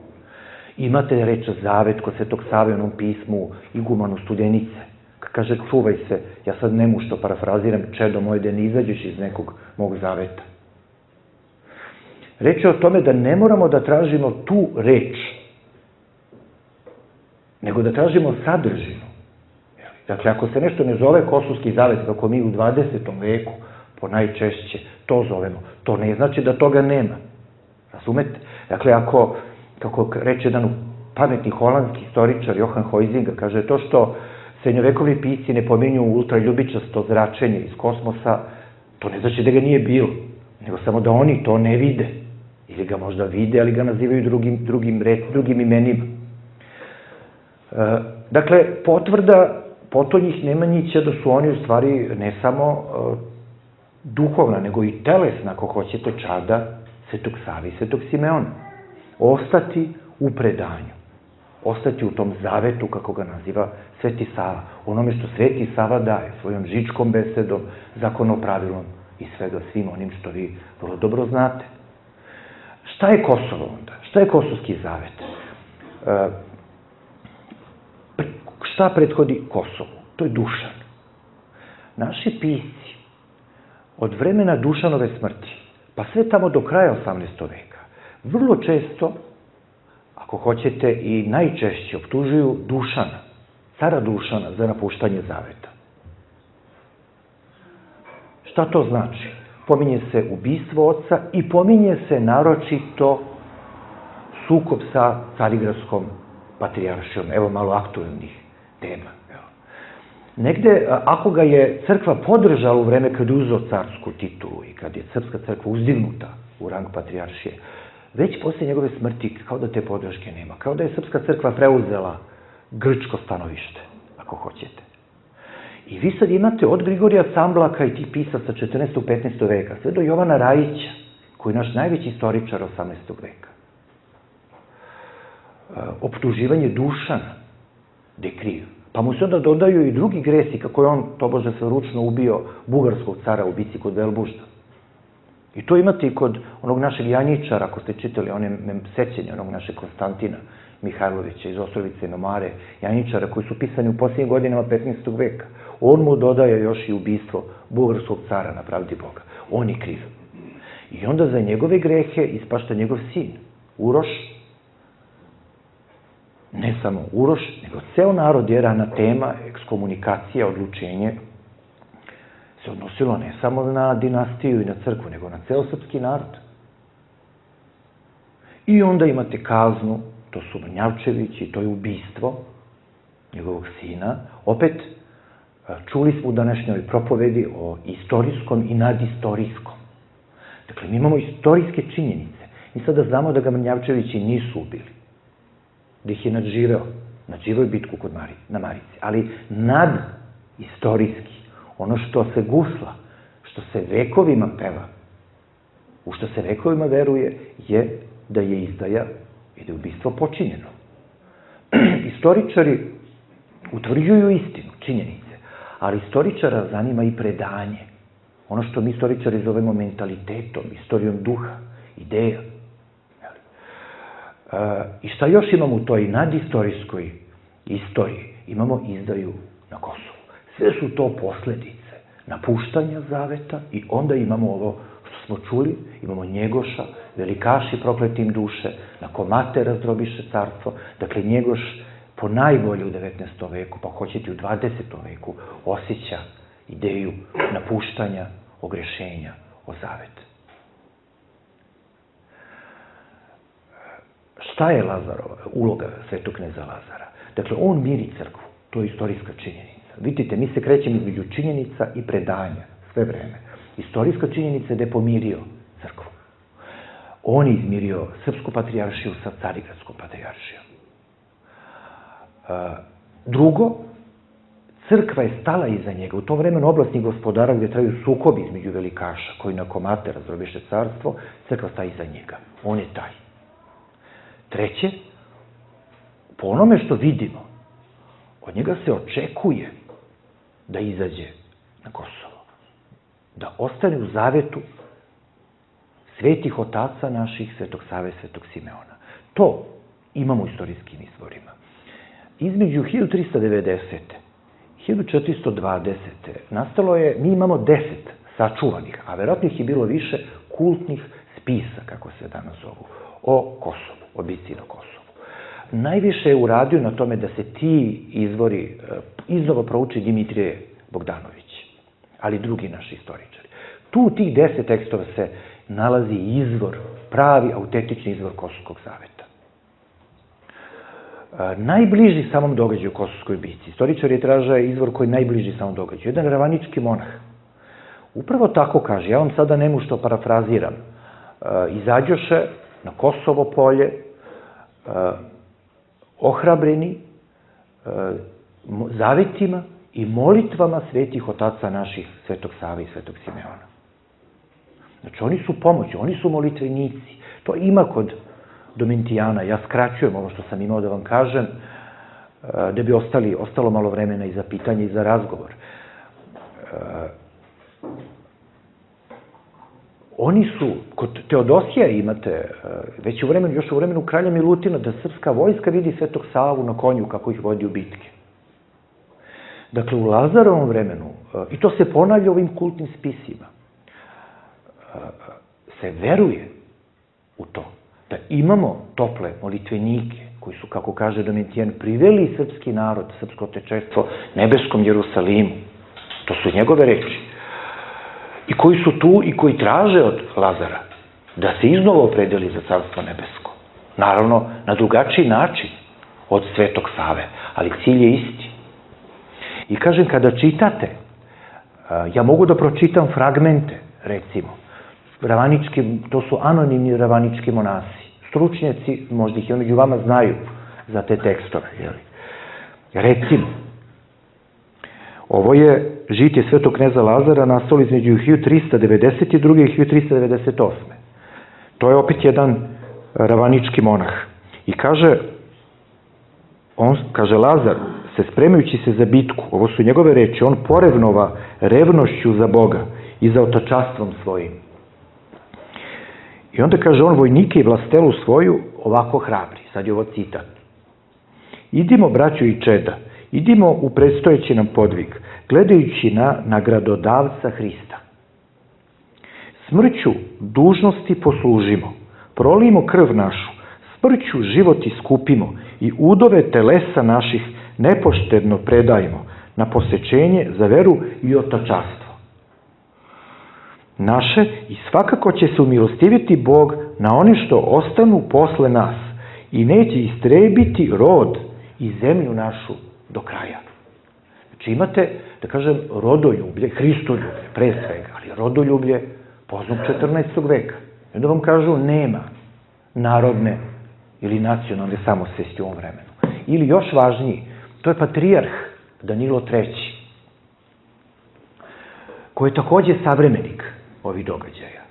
Imate reč zavet kod Svetog Save u onom pismu Igumanu Studenice. Kaže, čuvaj se, ja sad nemušto parafraziram, čedo moje, da ne izađeš iz nekog mog zaveta. Reč je o tome da ne moramo da tražimo tu reč, nego da tražimo sadržinu. Dakle, ako se nešto ne zove Kosovski zavet, kako mi u 20. veku ponajčešće to zovemo, to ne znači da toga nema. Razumete? Dakle, ako, kako reče jedan pametni holandski istoričar Johan Huizinga, kaže, to što srednjovekovni pisci ne pominju ultraljubičasto zračenje iz kosmosa, to ne znači da ga nije bilo, nego samo da oni to ne vide. Ili ga možda vide, ali ga nazivaju drugim imenima. Dakle, potvrda Potonjih Nemanjića da su oni u stvari ne samo duhovna, nego i telesna, ako hoćete, čada Svetog Save i Svetog Simeona. Ostati u predanju. Ostati u tom zavetu, kako ga naziva Sveti Sava. Onome što Sveti Sava daje, svojom žičkom besedom, zakonopravilom i svim onim što vi vrlo dobro znate. Šta je Kosovo onda? Šta je Kosovski zavet? Šta prethodi Kosovu? To je Dušan. Naši pisci od vremena Dušanove smrti, pa sve tamo do kraja 18. veka, vrlo često, ako hoćete i najčešće, optužuju Dušana, cara Dušana, za napuštanje zaveta. Šta to znači? Pominje se ubistvo oca i pominje se naročito sukob sa Carigradskom patrijaršijom. Evo malo aktuelnih tema. Negde, ako ga je crkva podržala u vreme kad je uzeo carsku titulu i kad je srpska crkva uzdignuta u rang patrijaršije, već posle njegove smrti, kao da te podrške nema, kao da je srpska crkva preuzela grčko stanovište, ako hoćete. I vi sad imate od Grigorija Camblaka i tih pisaca 14. 15. veka, sve do Jovana Rajića, koji je naš najveći istoričar 18. veka. Optuživanje Dušana, gde je kriv. Pa mu se onda dodaju i drugi gresi, kako je on, tobože, se ručno ubio bugarskog cara u bici kod Velbužda. I to imate i kod onog našeg Janjičara, ako ste čitali one sećenje onog našeg Konstantina Mihajlovića iz Ostrovice i Nomare, Janjičara, koji su pisani u posljednjim godinama 15. veka. On mu dodaje još i ubistvo bugarskog cara na pravdi Boga. On je kriv. I onda za njegove grehe ispašta njegov sin, Uroš, ne samo Uroš, nego ceo narod, jer anatema, ekskomunikacija, odlučenje se odnosilo ne samo na dinastiju i na crkvu, nego na ceo srpski narod. I onda imate kaznu, to su Mrnjavčevići, to je ubistvo njegovog sina. Opet, čuli smo u današnjoj propovedi o istorijskom i nadistorijskom. Dakle, mi imamo istorijske činjenice. Mi sada znamo da ga Mrnjavčevići nisu ubili, da ih je nadživeo je bitku na Marici, ali nadistorijski, ono što se gusla, što se vekovima peva, u što se vekovima veruje, je da je izdaja i da je ubistvo počinjeno. Istoričari utvrđuju istinu, činjenice, ali istoričara zanima i predanje. Ono što mi istoričari zovemo mentalitetom, istorijom duha, ideja. I šta još imamo u toj nadistorijskoj istoriji? Imamo izdaju na Kosovu. Sve su to posledice napuštanja zaveta i onda imamo ovo što smo čuli, imamo Njegoša, velikaši prokletim duše, na komate razdrobiše carstvo. Dakle, Njegoš po najbolje u 19. veku, pa hoćete u 20. veku, osjeća ideju napuštanja, ogrešenja o zavet. Šta je Lazarova uloga svetog kneza Lazara? Dakle, on miri crkvu, to je istorijska činjenica. Vidite, mi se krećemo između činjenica i predanja sve vreme. Istorijska činjenica je da je pomirio crkvu. On je izmirio srpsku patrijaršiju sa carigradskom patrijaršijom. Drugo, crkva je stala iza njega. U tom vremenu oblastnih gospodara gde traju sukobi između velikaša koji na komate razdrobiše carstvo, crkva staje iza njega. On je taj. Treće, po onome što vidimo, od njega se očekuje da izađe na Kosovo, da ostane u zavetu svetih otaca naših, Svetog Save, Svetog Simeona. To imamo u istorijskim izvorima. Između 1390. i 1420. nastalo je, mi imamo 10 sačuvanih, a verovatno ih je bilo više, kultnih spisa, kako se danas zovu, o Kosovu, o bici na Kosovu. Najviše je uradio na tome da se ti izvori iznova prouči Dimitrije Bogdanović, ali drugi naši istoričari. Tu u tih 10 tekstova se nalazi izvor, pravi, autentični izvor Kosovskog zaveta. Najbliži samom događaju u Kosovskoj bici. Istoričari traže izvor koji je najbliži samom događaju. Jedan ravanički monah. Upravo tako kaže, ja vam sada nemu što parafraziram. Izađoše na Kosovo polje, ohrabreni zavetima i molitvama svetih otaca naših, Svetog Save i Svetog Simeona. Znači, oni su pomoć, oni su molitvenici. To ima kod Domitijana. Ja skraćujem ovo što sam imao da vam kažem, da bi ostalo malo vremena i za pitanje i za razgovor. Oni su, kod Teodosija imate, već još u vremenu kralja Milutina, da srpska vojska vidi Svetog Savu na konju kako ih vodi u bitke. Dakle, u Lazarovom vremenu, i to se ponavlja u ovim kultnim spisima, se veruje u to da imamo tople molitvenike koji su, kako kaže Domitijan, priveli srpski narod, srpsko otečestvo nebeskom Jerusalimu. To su njegove reči. I koji su tu i koji traže od Lazara da se iznova opredeli za carstvo nebesko. Naravno, na drugačiji način od Svetog Save, ali cilj je isti. I kažem, kada čitate, ja mogu da pročitam fragmente, recimo, to su anonimni ravanički monasi. Stručnjaci, možda ih i među vama znaju za te tekstove. Recimo, Ovo je žitije svetog kneza Lazara nastalo između 1392. i 1398. To je opet jedan ravanički monah. I kaže Lazar, se spremajući se za bitku, ovo su njegove reči, on porevnova revnošću za Boga i za otačastvom svojim. I onda kaže on vojnike i vlastelu svoju ovako hrabri. Sad je ovo citat. Idimo, braćo i čeda, idimo u predstojeći nam podvig, gledajući na nagradodavca Hrista. Smrću dužnosti poslužimo, prolijemo krv našu, smrću život iskupimo i udove telesa naših nepoštedno predajmo na posečenje za veru i otačastvo naše i svakako će se umilostiviti Bog na one što ostanu posle nas i neće istrebiti rod i zemlju našu do kraja. Znači imate, da kažem, rodoljublje, Hristoljublje, pre svega, ali rodoljublje poznat 14. veka. I onda vam kažu nema narodne ili nacionalne samosvesti u ovom vremenu. Ili još važniji, to je patrijarh Danilo III, koji je takođe savremenik ovih događaja.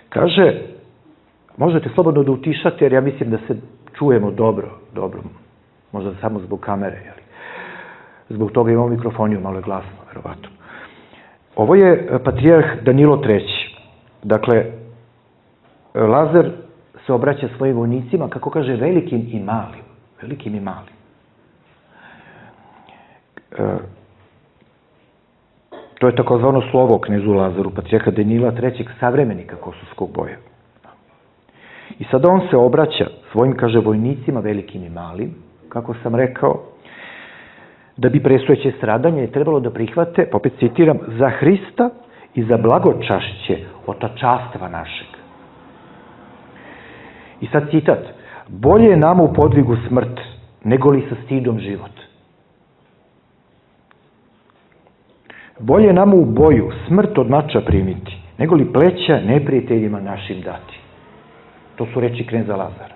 Kaže, možete slobodno da utišate, jer ja mislim da se čujemo dobro, možda samo zbog kamere, jeli? Zbog toga imamo mikrofoniju, malo je glasno, verovatno. Ovo je patrijarh Danilo III. Dakle, Lazar se obraća svojim vojnicima, kako kaže, velikim i malim. Velikim i malim. To je takozvano slovo knezu Lazaru, patrijarha Danila III. Savremenika kosovskog boja. I sada on se obraća svojim, kaže, vojnicima, velikim i malim, kako sam rekao, da bi predstojeće stradanje je trebalo da prihvate, pa opet citiram, za Hrista i za blagočašće otačastva našeg. I sad citat, bolje je nama u podvigu smrt, nego li sa stidom život. Bolje je nama u boju smrt od mača primiti, nego li pleća neprijateljima našim dati. To su reči kneza Lazara.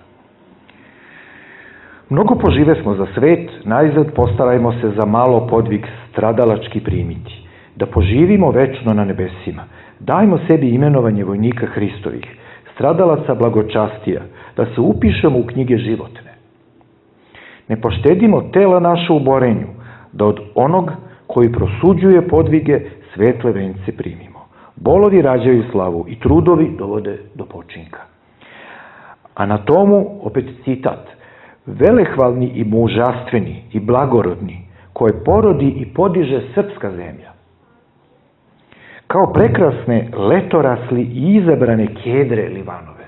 Mnogo požive smo za svet, najzad postarajmo se za malo podvig stradalački primiti, da poživimo večno na nebesima. Dajmo sebi imenovanje vojnika Hristovih, stradalaca blagočastija, da se upišemo u knjige životne. Ne poštedimo tela naše u borenju, da od onog koji prosuđuje podvige svetle vence primimo. Bolovi rađaju slavu i trudovi dovode do počinka. A na tomu, opet citat, velehvalni i mužastveni i blagorodni, koje porodi i podiže srpska zemlja. Kao prekrasne letorasli i izabrane kedre Livanove.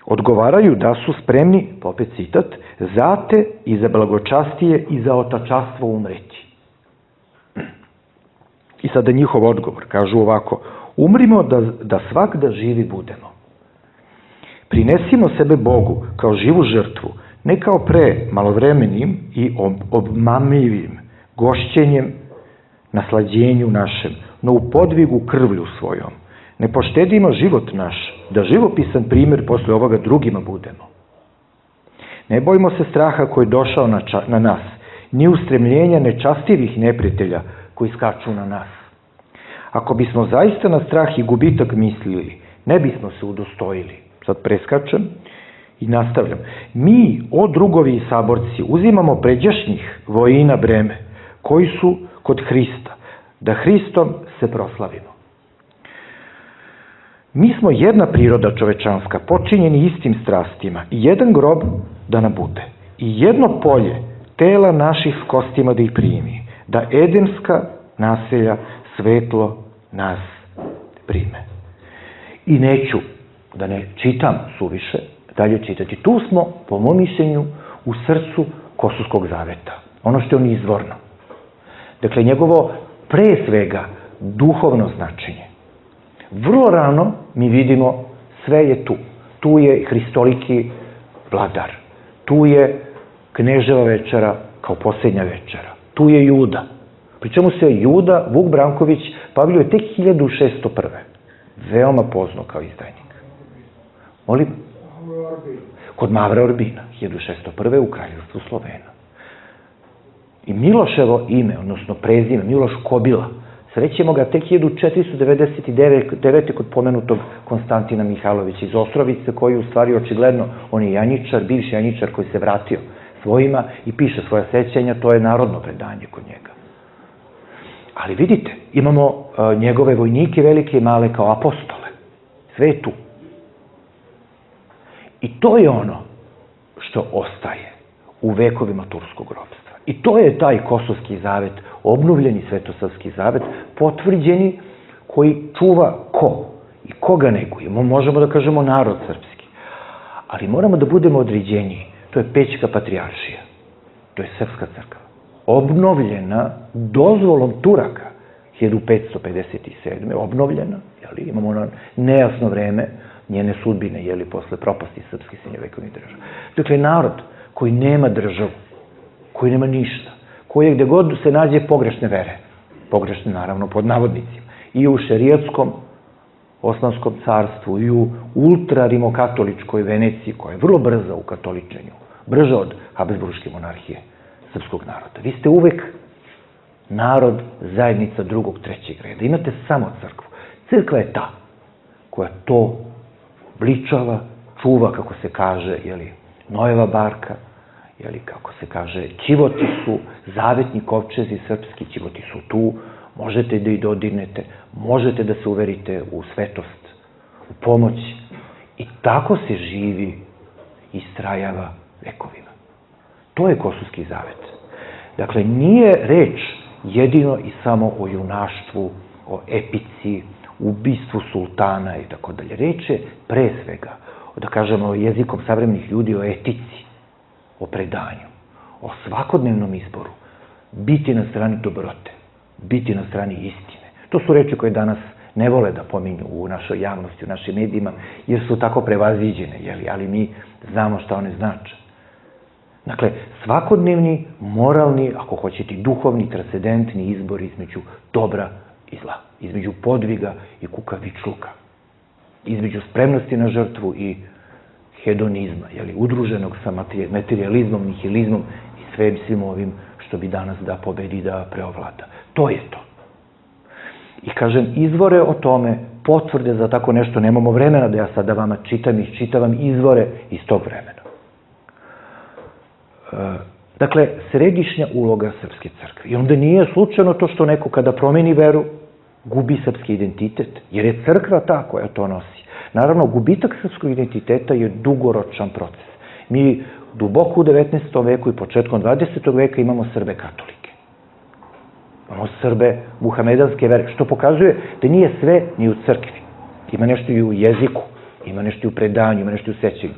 Odgovaraju da su spremni, opet citat, za te i za blagočastije i za otačastvo umreti. I sada njihov odgovor, kažu ovako, umrimo da svak da živi budemo. Prinesimo sebe Bogu kao živu žrtvu, ne kao pre malovremenim i obmamljivim gošćenjem naslađenju našem, no u podvigu krvlju svojom. Ne poštedimo život naš, da živopisan primjer posle ovoga drugima budemo. Ne bojimo se straha koji je došao na nas, ni ustremljenja nečastivih neprijatelja koji skaču na nas. Ako bismo zaista na strah i gubitak mislili, ne bismo se udostojili. Sad preskačem i nastavljam. Mi, o drugovi i saborci, uzimamo pređašnjih vojina breme, koji su kod Hrista, da Hristom se proslavimo. Mi smo jedna priroda čovečanska, počinjeni istim strastima, i jedan grob da nam bude, i jedno polje tela naših s kostima da ih primi, da edemska naselja svetlo nas prime. I neću da ne čitam suviše, dalje čitati. Tu smo, po mom mišljenju, u srcu Kosovskog zaveta. Ono što je on izvorno. Dakle, njegovo pre svega duhovno značenje. Vrlo rano mi vidimo sve je tu. Tu je hristoliki vladar. Tu je kneževa večera kao posljednja večera. Tu je Juda. Pri čemu se Juda, Vuk Branković, pavljuje tek 1601. Veoma pozno kao izdajnik. Molim? Kod Mavra Orbina, 1601. u kraljevstvu Slovena. I Miloševo ime, odnosno prezime, Miloš Kobila, srećemo ga tek 1499. kod pomenutog Konstantina Mihajlovića iz Ostrovice, koji u stvari očigledno, on je Janjičar, bivši Janjičar koji se vratio svojima i piše svoja sećanja, to je narodno predanje kod njega. Ali vidite, imamo njegove vojnike velike i male kao apostole. Sve je tu. I to je ono što ostaje u vekovima turskog ropstva. I to je taj Kosovski zavet, obnovljeni Svetosavski zavet, potvrđeni, koji čuva ko i koga neguje. Možemo da kažemo narod srpski. Ali moramo da budemo određeniji. To je Pećka patrijaršija. To je Srpska crkva. Obnovljena dozvolom Turaka 1557. Obnovljena, imamo ono nejasno vreme njene sudbine, posle propasti srpskih srednjovekovnih država. Dakle, narod koji nema državu, koji nema ništa, koji je gde god se nađe pogrešne vere, pogrešne naravno pod navodnicima, i u šerijatskom Osmanskom carstvu, i u ultra-rimokatoličkoj Veneciji, koja je vrlo brza u katoličenju, brža od Habsburške monarhije srpskog naroda. Vi ste uvek narod, zajednica drugog, trećeg reda. Imate samo crkvu. Crkva je ta koja to obličava, čuva, kako se kaže, Nojeva barka, kako se kaže, ćivoti su, zavetni kovčezi srpski, ćivoti su tu, možete da ih dodirnete, možete da se uverite u svetost, u pomoć. I tako se živi i istrajava vekovima. To je Kosovski zavet. Dakle, nije reč jedino i samo o junaštvu, o epici, ubistvu sultana i tako dalje. Reč je pre svega, da kažemo jezikom savremenih ljudi, o etici, o predanju, o svakodnevnom izboru, biti na strani dobrote, biti na strani istine. To su reči koje danas ne vole da pominju u našoj javnosti, u našim medijima, jer su tako prevaziđene, ali mi znamo šta one znače. Dakle, svakodnevni, moralni, ako hoćete, duhovni, transcendentni izbor između dobra i zla, između podviga i kukavičluka, između spremnosti na žrtvu i hedonizma, udruženog sa materializmom, nihilizmom i svim ovim što bi danas da pobedi, da preovlada. To je to. I kažem, izvore o tome, potvrde za tako nešto, nemamo vremena da ja sada vama čitam i iščitavam izvore iz tog vremena. Dakle, središnja uloga Srpske crkve. I onda nije slučajno to što neko kada promeni veru, gubi srpski identitet, jer je crkva ta koja to nosi. Naravno, gubitak srpskog identiteta je dugoročan proces. Mi duboko u 19. veku i početkom 20. veka imamo Srbe katolike. Imamo Srbe muhamedanske vere, što pokazuje da nije sve ni u crkvi. Ima nešto i u jeziku, ima nešto i u predanju, ima nešto i u sećanju.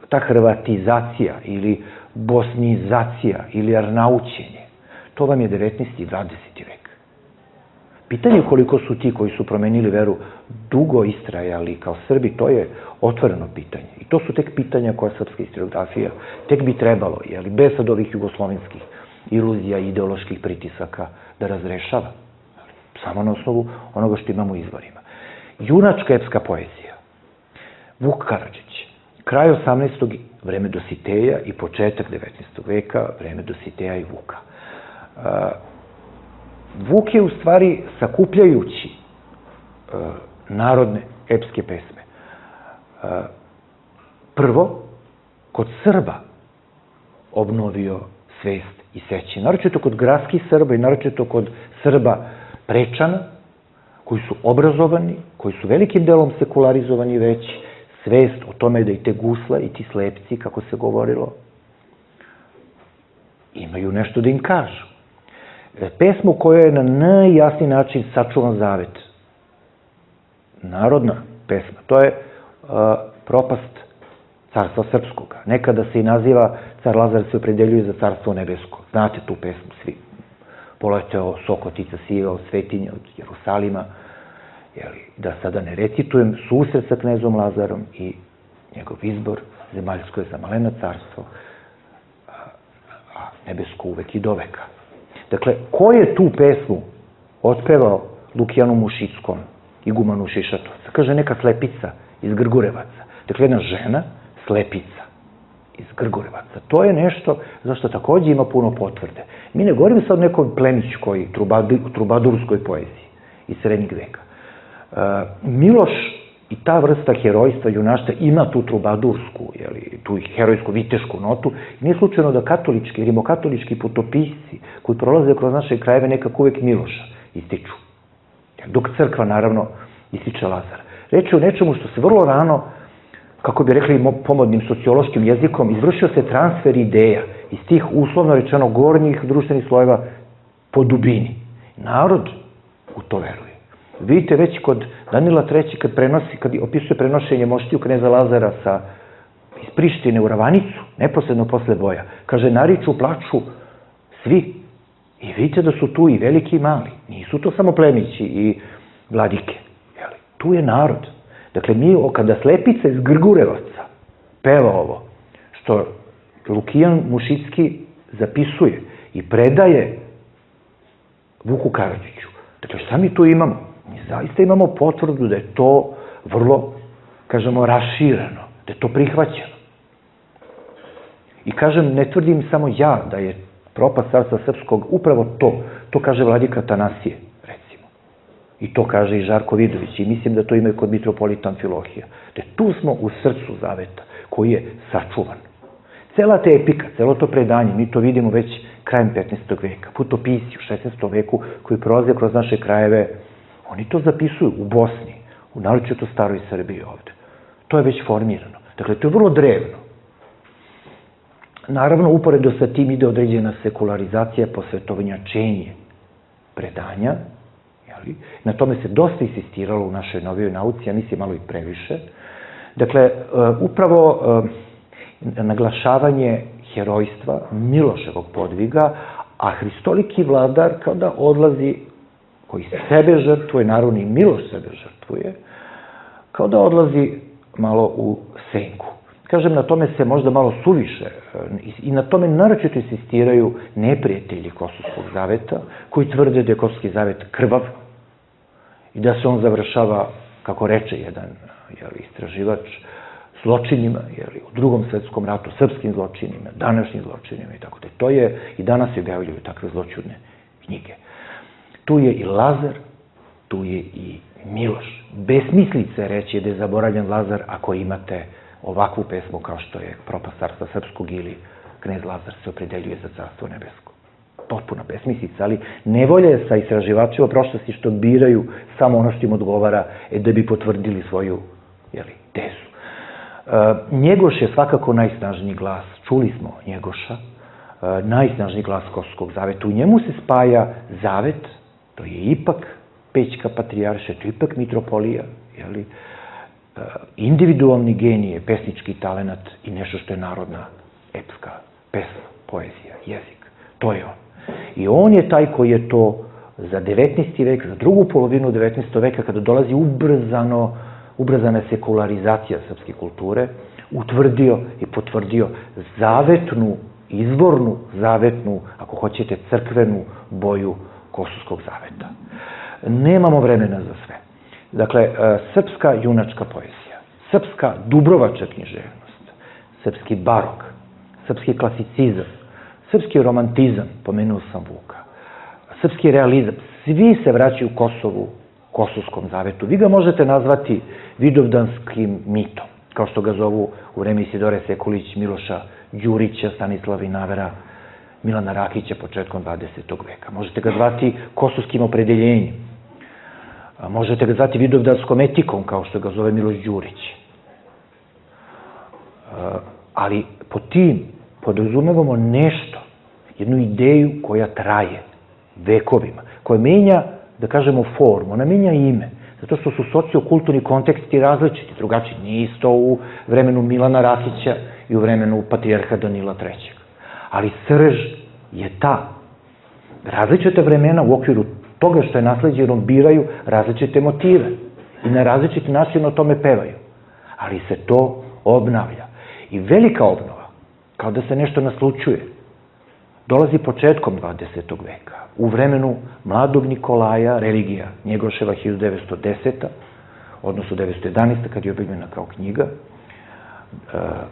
Ta hrvatizacija ili bosnizacija ili arnaućenje, to vam je 19. i 20. vek. Pitanje koliko su ti koji su promenili veru dugo istrajali kao Srbi, to je otvoreno pitanje. I to su tek pitanja koja srpska historiografija tek bi trebalo, bez sad ovih jugoslovenskih iluzija i ideoloških pritisaka da razrešava. Samo na osnovu onoga što imamo u izvorima. Junačka epska poezija. Vuk Karadžić. Kraj 18. vreme Dositeja i početak 19. veka, vreme Dositeja i Vuka. Vuk je u stvari, sakupljajući narodne epske pesme, prvo, kod Srba obnovio svest i sećanje. Naročito kod gradskih Srba i naročito kod Srba Prečana, koji su obrazovani, koji su velikim delom sekularizovani već, svest o tome da i te gusle i ti slepci, kako se govorilo, imaju nešto da im kažu. Pesmu koja je na najjasniji način sačuvan zavet. Narodna pesma. To je propast carstva srpskoga. Nekada se i naziva, car Lazar se opredeljuje za carstvo nebesko. Znate tu pesmu svi. Poleteo Sokotica sivao svetinja od Jerusalima. Da sada ne recitujem, susret sa knezom Lazarom i njegov izbor, zemaljsko je za malena carstvo, a nebesko uvek i do veka. Dakle, ko je tu pesmu otpevao Lukijanu Mušickom, igumanu Šišatovca? Kaže neka slepica iz Grgurevaca. Dakle, jedna žena, slepica, iz Grgurevaca. To je nešto zašto takođe ima puno potvrde. Mi ne govorimo sad o nekoj plemićkoj, trubadurskoj poeziji iz srednjeg veka. Miloš i ta vrsta herojstva, junaštva ima tu trubadursku, tu herojsku, vitešku notu. Nije slučajno da katolički, rimokatolički putopisci koji prolaze kroz naše krajeve nekako uvek Miloša ističu. Dok crkva, naravno, ističe Lazara. Reč je o nečemu što se vrlo rano, kako bi rekli pomodnim sociološkim jezikom, izvršio se transfer ideja iz tih uslovno rečeno gornjih društvenih slojeva po dubini. Narod u to veruje. Vidite već kod Danila III. Kad opisuje prenošenje moštiju kneza Lazara iz Prištine u Ravanicu, neposredno posle boja, kaže, nariču, plaču svi. I vidite da su tu i veliki i mali. Nisu to samo plemići i vladike. Tu je narod. Dakle, mi, kada Slepica iz Grgurevaca peva ovo, što Lukijan Mušicki zapisuje i predaje Vuku Karadžiću, dakle, šta mi tu imamo? Mi zaista imamo potvrdu da je to vrlo, kažemo, rašireno, da je to prihvaćeno. I kažem, ne tvrdim samo ja da je propast carstva srpskog upravo to. To kaže vladika Atanasije, recimo. I to kaže i Žarko Vidović. I mislim da to ima i kod mitropolita Amfilohija. Da tu smo u srcu zaveta, koji je sačuvan. Cela ta epika, celo to predanje, mi to vidimo već krajem 15. veka. Putopisi u 16. veku koji prolaze kroz naše krajeve, oni to zapisuju u Bosni, u naročito staroj Srbiji ovde. To je već formirano. Dakle, to je vrlo drevno. Naravno, uporedo sa tim ide određena sekularizacija, posvetovnjačenje predanja. Na tome se dosta insistiralo u našoj novijoj nauci, ja mislim malo i previše. Dakle, upravo naglašavanje herojstva, Miloševog podviga, a hristoliki vladar kao da odlazi, koji sebe žrtvuje, naravno i Miloš sebe žrtvuje, kao da odlazi malo u senku. Kažem, na tome se možda malo suviše i na tome naročito insistiraju neprijatelji Kosovskog zaveta, koji tvrde da je Kosovski zavet krvav i da se on završava, kako reče jedan istraživač, zločinima, u Drugom svetskom ratu, srpskim zločinima, današnjim zločinima i tako da. To je, i danas se objavljuju takve zločudne knjige. Tu je i Lazar, tu je i Miloš. Besmislica je reći da je zaboravljen Lazar ako imate ovakvu pesmu kao što je Propast carstva srpskog ili Knez Lazar se opredeljuje za carstvo nebesko. Potpuna besmislica, ali nevolja je sa istraživačima prošlosti što biraju samo ono što im odgovara da bi potvrdili svoju tezu. Njegoš je svakako najsnažniji glas, čuli smo Njegoša, najsnažniji glas Kosovskog zaveta. U njemu se spaja zavet, to je ipak Pećka patrijarša, to je ipak mitropolija, individualni genije, pesnički talenat i nešto što je narodna epska pesma, poezija, jezik. To je on. I on je taj koji je to za 19. vek, za drugu polovinu 19. veka, kada dolazi ubrzana sekularizacija srpske kulture, utvrdio i potvrdio zavetnu, izvornu, zavetnu, ako hoćete, crkvenu boju Kosovskog zaveta. Nemamo vremena za sve. Dakle, srpska junačka poezija, srpska dubrovačka književnost, srpski barok, srpski klasicizam, srpski romantizam, pomenuo sam Vuka, srpski realizam, svi se vraćaju Kosovu, Kosovskom zavetu. Vi ga možete nazvati vidovdanskim mitom, kao što ga zovu u vreme Isidore Sekulić, Miloša Đurića, Stanislava Vinavera, Milana Rakića početkom 20. veka. Možete ga zvati kosovskim opredeljenjem. Možete ga zvati vidovdanskom etikom, kao što ga zove Miloš Đurić. Ali po tim podrazumevamo nešto, jednu ideju koja traje vekovima, koja menja, da kažemo, formu, ona menja ime, zato što su sociokulturni konteksti različiti, drugačiji. Nije isto u vremenu Milana Rakića i u vremenu patrijarha Danila III. Ali srž je ta. Različite vremena u okviru toga što je nasleđeno biraju različite motive i na različiti način o tome pevaju. Ali se to obnavlja. I velika obnova, kao da se nešto naslučuje, dolazi početkom 20. veka, u vremenu mladog Nikolaja, religija Njegoševa 1910. odnosno 1911. kad je objavljena kao knjiga,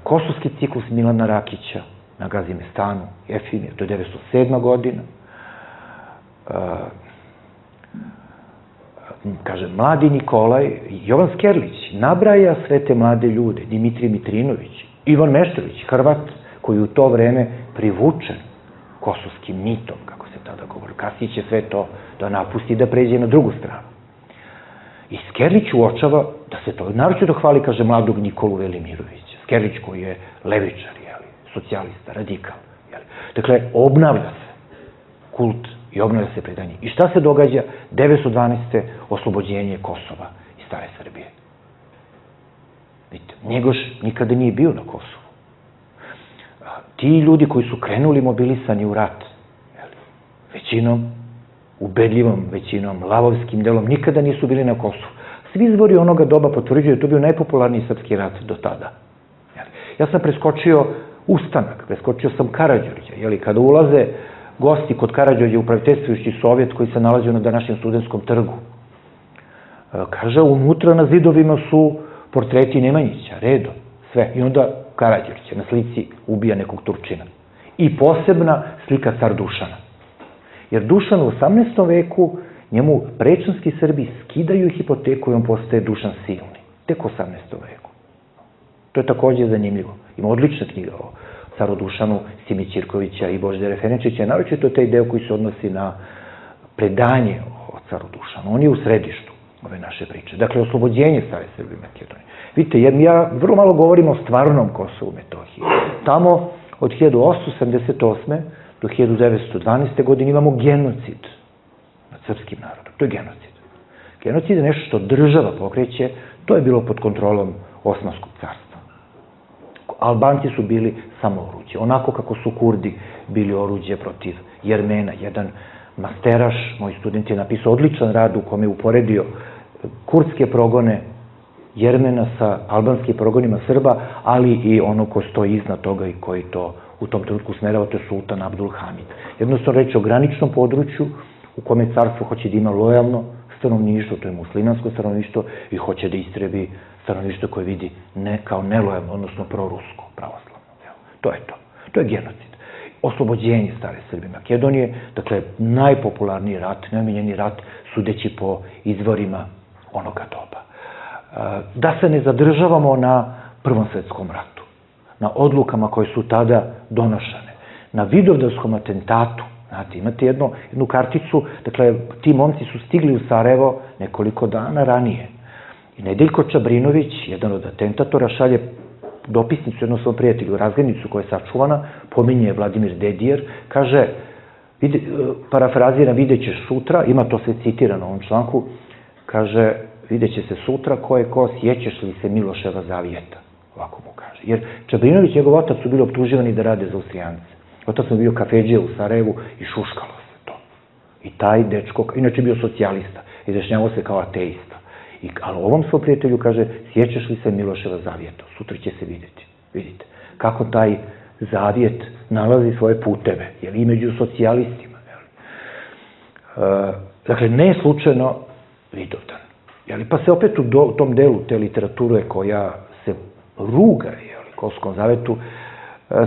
Kosovski ciklus Milana Rakića na Gazimestanu, Efimir, to je 1907. godina. Kaže, mladi Nikolaj, Jovan Skerlić, nabraja sve te mlade ljude, Dimitrij Mitrinović, Ivan Meštrović, Hrvat, koji u to vreme privučen kosovskim mitom, kako se tada govori. Kasnije će sve to da napusti, da pređe na drugu stranu. I Skerlić uočava da se to, naročito hvali, kaže, mladog Nikolu Velimirovića. Skerlić koji je levičar, socijalista, radikal. Dakle, obnavlja se kult i obnavlja se predanje. I šta se događa? 1912. oslobođenje Kosova i stare Srbije. Vidite, Njegoš nikada nije bio na Kosovu. Ti ljudi koji su krenuli mobilisani u rat, većinom, ubedljivom većinom, lavovskim delom, nikada nisu bili na Kosovu. Svi izvori onoga doba potvrđuju da je to bio najpopularniji srpski rat do tada. Ja sam preskočio ustanak, preskočio sam Karađorđa, kada ulaze gosti kod Karađorđa upraviteljstvujući Sovjet koji se nalazio na današnjem Studentskom trgu. Kaže, unutra na zidovima su portreti Nemanjića, redom, sve. I onda Karađorđe na slici ubija nekog Turčina. I posebna slika car Dušana. Jer Dušan u 18. veku, njemu prečanski Srbi skidaju hipoteku i on postaje Dušan Silni. Tek u 18. veku. To je takođe zanimljivo. Ima odlična knjiga o caru Dušanu, Simi Ćirkovića i Božidara Ferenčića, naročito taj deo koji se odnosi na predanje o caru Dušanu. On je u središtu ove naše priče. Dakle, oslobođenje stare Srbije i Makedonije. Vidite, ja vrlo malo govorim o stvarnom Kosovu i Metohiji. Tamo od 1878. do 1912. godine imamo genocid nad srpskim narodom. To je genocid. Genocid je nešto što država pokreće, to je bilo pod kontrolom Osmanskog carstva. Albanci su bili samo oruđe. Onako kako su Kurdi bili oruđe protiv Jermena. Jedan masteraš, moj student je napisao odličan rad u kome je uporedio kurdske progone Jermena sa albanskim progonima Srba, ali i ono ko stoji iznad toga i koji to u tom trenutku smerava, to je sultan Abdul Hamid. Jednostavno reći o graničnom području u kome carstvo hoće da ima lojalno stanovništvo, to je muslimansko stanovništvo, i hoće da istrebi stanovništvo koje vidi ne kao nelojalno, odnosno prorusko, pravoslavno. To je to. To je genocid. Oslobođenje stare Srbije i Makedonije, dakle, najpopularniji rat, najomiljeniji rat, sudeći po izvorima onoga doba. Da se ne zadržavamo na Prvom svetskom ratu, na odlukama koje su tada donošene, na Vidovdanskom atentatu. Znate, imate jednu karticu, dakle, ti momci su stigli u Sarajevo nekoliko dana ranije. I Nedeljko Čabrinović, jedan od atentatora, šalje dopisnicu jednom svom prijatelju, razglednicu koja je sačuvana, pominje Vladimir Dedijer, kaže, parafraziram, vidjet ćeš sutra, ima to sve citirano u ovom članku, kaže, vidjet će se sutra ko je ko, sjećaš li se Miloševa zavijeta, ovako mu kaže. Jer Čabrinović i njegov otac su bili optuživani da rade za Austrijance. Otac mu bio kafedžija u Sarajevu i šuškalo se to. I taj dečko, inače bio socijalista, izjašnjavao se kao ateista. Ali ovom svom prijatelju kaže, sjećaš li se Miloševa zavijeta, sutra će se vidjeti. Vidite, kako taj zavijet nalazi svoje puteve, jer i među socijalistima. Dakle, ne slučajno Vidovdan. Pa se opet u tom delu te literature koja se ruga Kosovskom zavetu,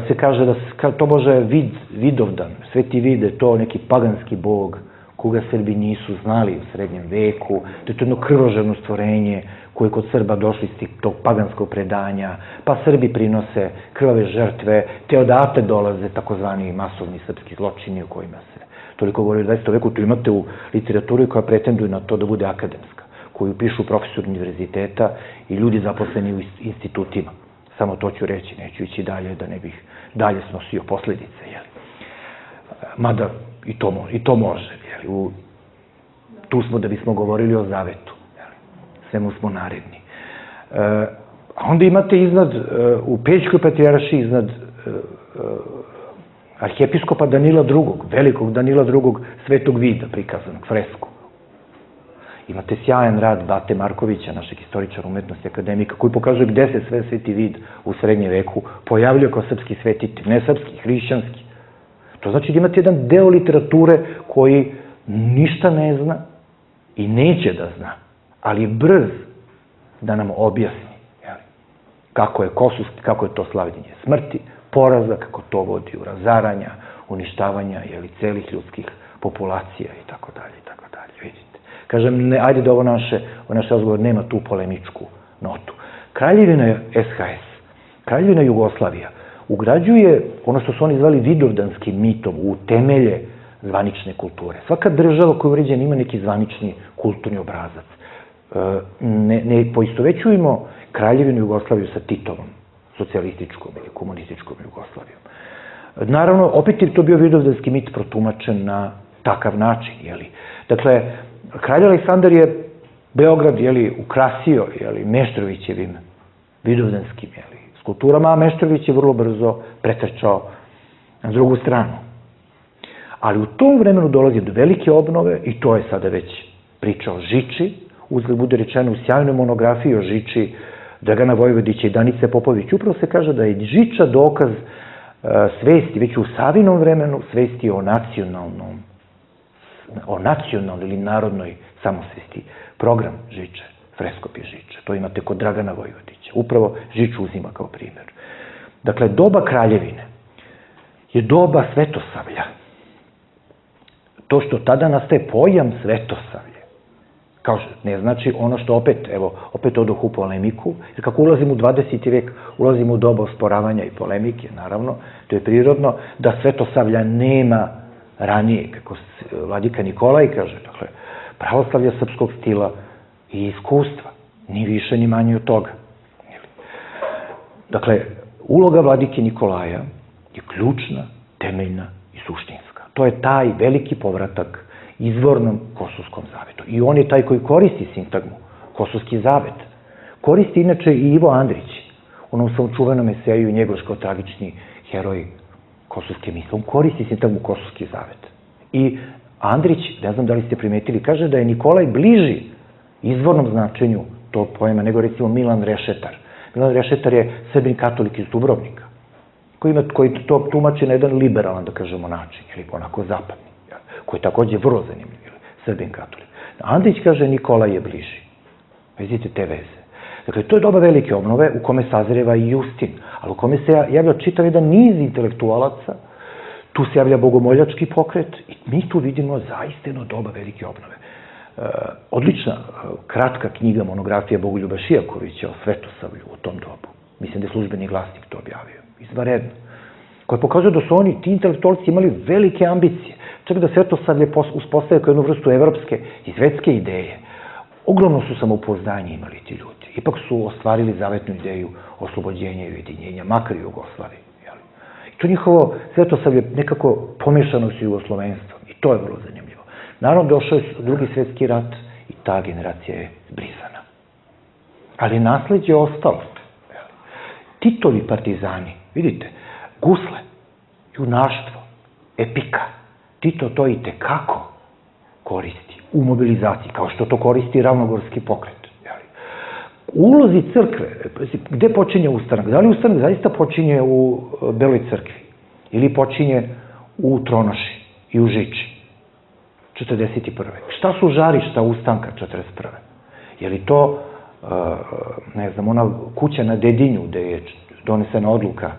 se kaže da to može Vidovdan, Sveti Vide, to neki paganski bog, koga Srbi nisu znali u srednjem veku, da je to jedno krvožerno stvorenje koje je kod Srba došli iz tog paganskog predanja, pa Srbi prinose krvave žrtve, te odatle dolaze takozvani masovni srpski zločini o kojima se toliko govori u 20. veku. Tu imate u literaturi koja pretenduje na to da bude akademska, koju pišu profesori univerziteta i ljudi zaposleni u institutima. Samo to ću reći, neću ići dalje da ne bih dalje snosio posledice. Mada i to može. Tu smo da bismo govorili o zavetu. Svemu smo naredni. A onda imate iznad, u Pećkoj patrijaršiji, iznad arhijepiskopa Danila II, velikog Danila II, Svetog Vida prikazanog, fresku. Imate sjajan rad Bate Markovića, našeg istoričara umetnosti, akademika, koji pokazuje gde se sve Sveti Vid u srednjem veku pojavljuje kao srpski svetitelj, ne srpski, hrišćanski. To znači da imate jedan deo literature koji ništa ne zna i neće da zna, ali je brz da nam objasni kako je to slavljenje smrti, poraza, kako to vodi u razaranja, uništavanja celih ljudskih populacija i tako dalje, vidite. Kažem, ajde da ovo naš razgovor nema tu polemičku notu. Kraljevina SHS, Kraljevina Jugoslavija, ugrađuje ono što su oni zvali vidovdanskim mitom u temelje zvanične kulture. Svaka država koja je uređena ima neki zvanični kulturni obrazac. Ne poistovećujemo Kraljevinu Jugoslaviju sa Titovom, socijalističkom ili komunističkom Jugoslavijom. Naravno, opet je to bio vidovdanski mit protumačen na takav način. Dakle, kralj Aleksandar je Beograd ukrasio Meštrovićevim vidovdanskim skulpturama, a Meštrović je vrlo brzo pretrčao na drugu stranu. Ali u tom vremenu dolazi do velike obnove i to je sada već priča o Žiči, uzgled bude rečeno u sjajnoj monografiji o Žiči Dragana Vojvodića i Danice Popović. Upravo se kaže da je Žiča dokaz svesti, već u Savinom vremenu, svesti o nacionalnoj ili narodnoj samosvesti. Program Žiče, freskopi Žiče, to imate kod Dragana Vojvodića. Upravo Žiču uzima kao primjer. Dakle, doba kraljevine je doba svetosavlja. To što tada nastaje pojam svetosavlje, kao što ne znači ono što opet odoh u polemiku, jer kako ulazimo u 20. vek, ulazimo u doba osporavanja i polemike, naravno, to je prirodno, da svetosavlja nema ranije, kako vladika Nikolaj kaže, dakle, pravoslavlja srpskog stila i iskustva, ni više ni manje od toga. Dakle, uloga vladike Nikolaja je ključna, temeljna i suštinska. To je taj veliki povratak izvornom Kosovskom zavetu. I on je taj koji koristi sintagmu Kosovski zavet. Koristi inače i Ivo Andrić, onom svom čuvenom eseju Njegoš kao tragični heroj kosovske misle. On koristi sintagmu Kosovski zavet. I Andrić, ne znam da li ste primetili, kaže da je Nikolaj bliži izvornom značenju tog pojma nego recimo Milan Rešetar. Milan Rešetar je Srbin katolik iz Dubrovnika, koji to tumači na jedan liberalan, da kažemo, način, ili onako zapadni, koji je takođe vrlo zanimljiv, Srbin katolik. Andrić kaže Nikolaj je bliži. Vidite te veze. Dakle, to je doba velike obnove u kome sazreva i Justin, ali u kome se javlja čitav jedan niz intelektualaca, tu se javlja bogomoljački pokret i mi tu vidimo zaista jedno doba velike obnove. Odlična, kratka knjiga, monografija Bogoljuba Šijakovića o Svetosavlju u tom dobu. Mislim da je Službeni glasnik to objavio. Izvanredno. Koja pokazuje da su oni, ti intelektualci, imali velike ambicije. Čak da Svetosavlje uspostavio kao jednu vrstu evropske i svetske ideje. Ogromno su samopouzdanje imali ti ljudi. Ipak su ostvarili zavetnu ideju oslobođenja i ujedinjenja, makar i Jugoslavije. I to njihovo Svetosavlje nekako pomešano s jugoslovenstvom. I to je vrlo zanimljivo. Naravno, došao je Drugi svjetski rat i ta generacija je zbrisana. Ali nasleđe je ostalo. Titovi partizani, vidite, gusle, junaštvo, epika. Tito to i tekako koristi u mobilizaciji, kao što to koristi Ravnogorski pokret. U ulozi crkve, gde počinje ustanak? Da li ustanak zaista počinje u Beloj crkvi? Ili počinje u Tronoši i u Žiči? 41. Šta su žarišta ustanka 41. Je li to, ne znam, ona kuća na Dedinju gde je donesena odluka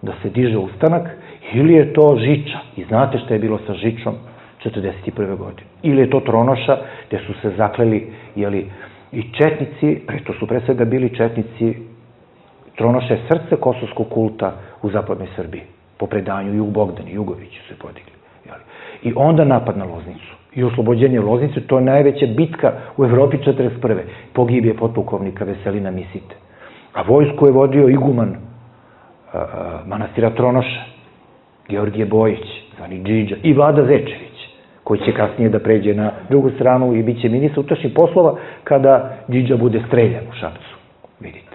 da se diže ustanak, ili je to Žiča? I znate šta je bilo sa Žičom 41. godine. Ili je to Tronoša gde su se zakleli, jeli, i četnici, to su pre svega bili četnici, Tronoša je srce kosovskog kulta u zapadnoj Srbiji. Po predanju Jug Bogdan i Jugović su se podigli. I onda napad na Loznicu. I oslobođenje Loznice, to je najveća bitka u Evropi 41. Pogibije potpukovnika Veselina Misite. A vojsku je vodio iguman manastira Tronoša, Georgije Bojić, zvani Džidža, i Vlada Zečević, koji će kasnije da pređe na drugu stranu i bit će ministar unutrašnjih poslova kada Džidža bude streljan u Šapcu. Vidite.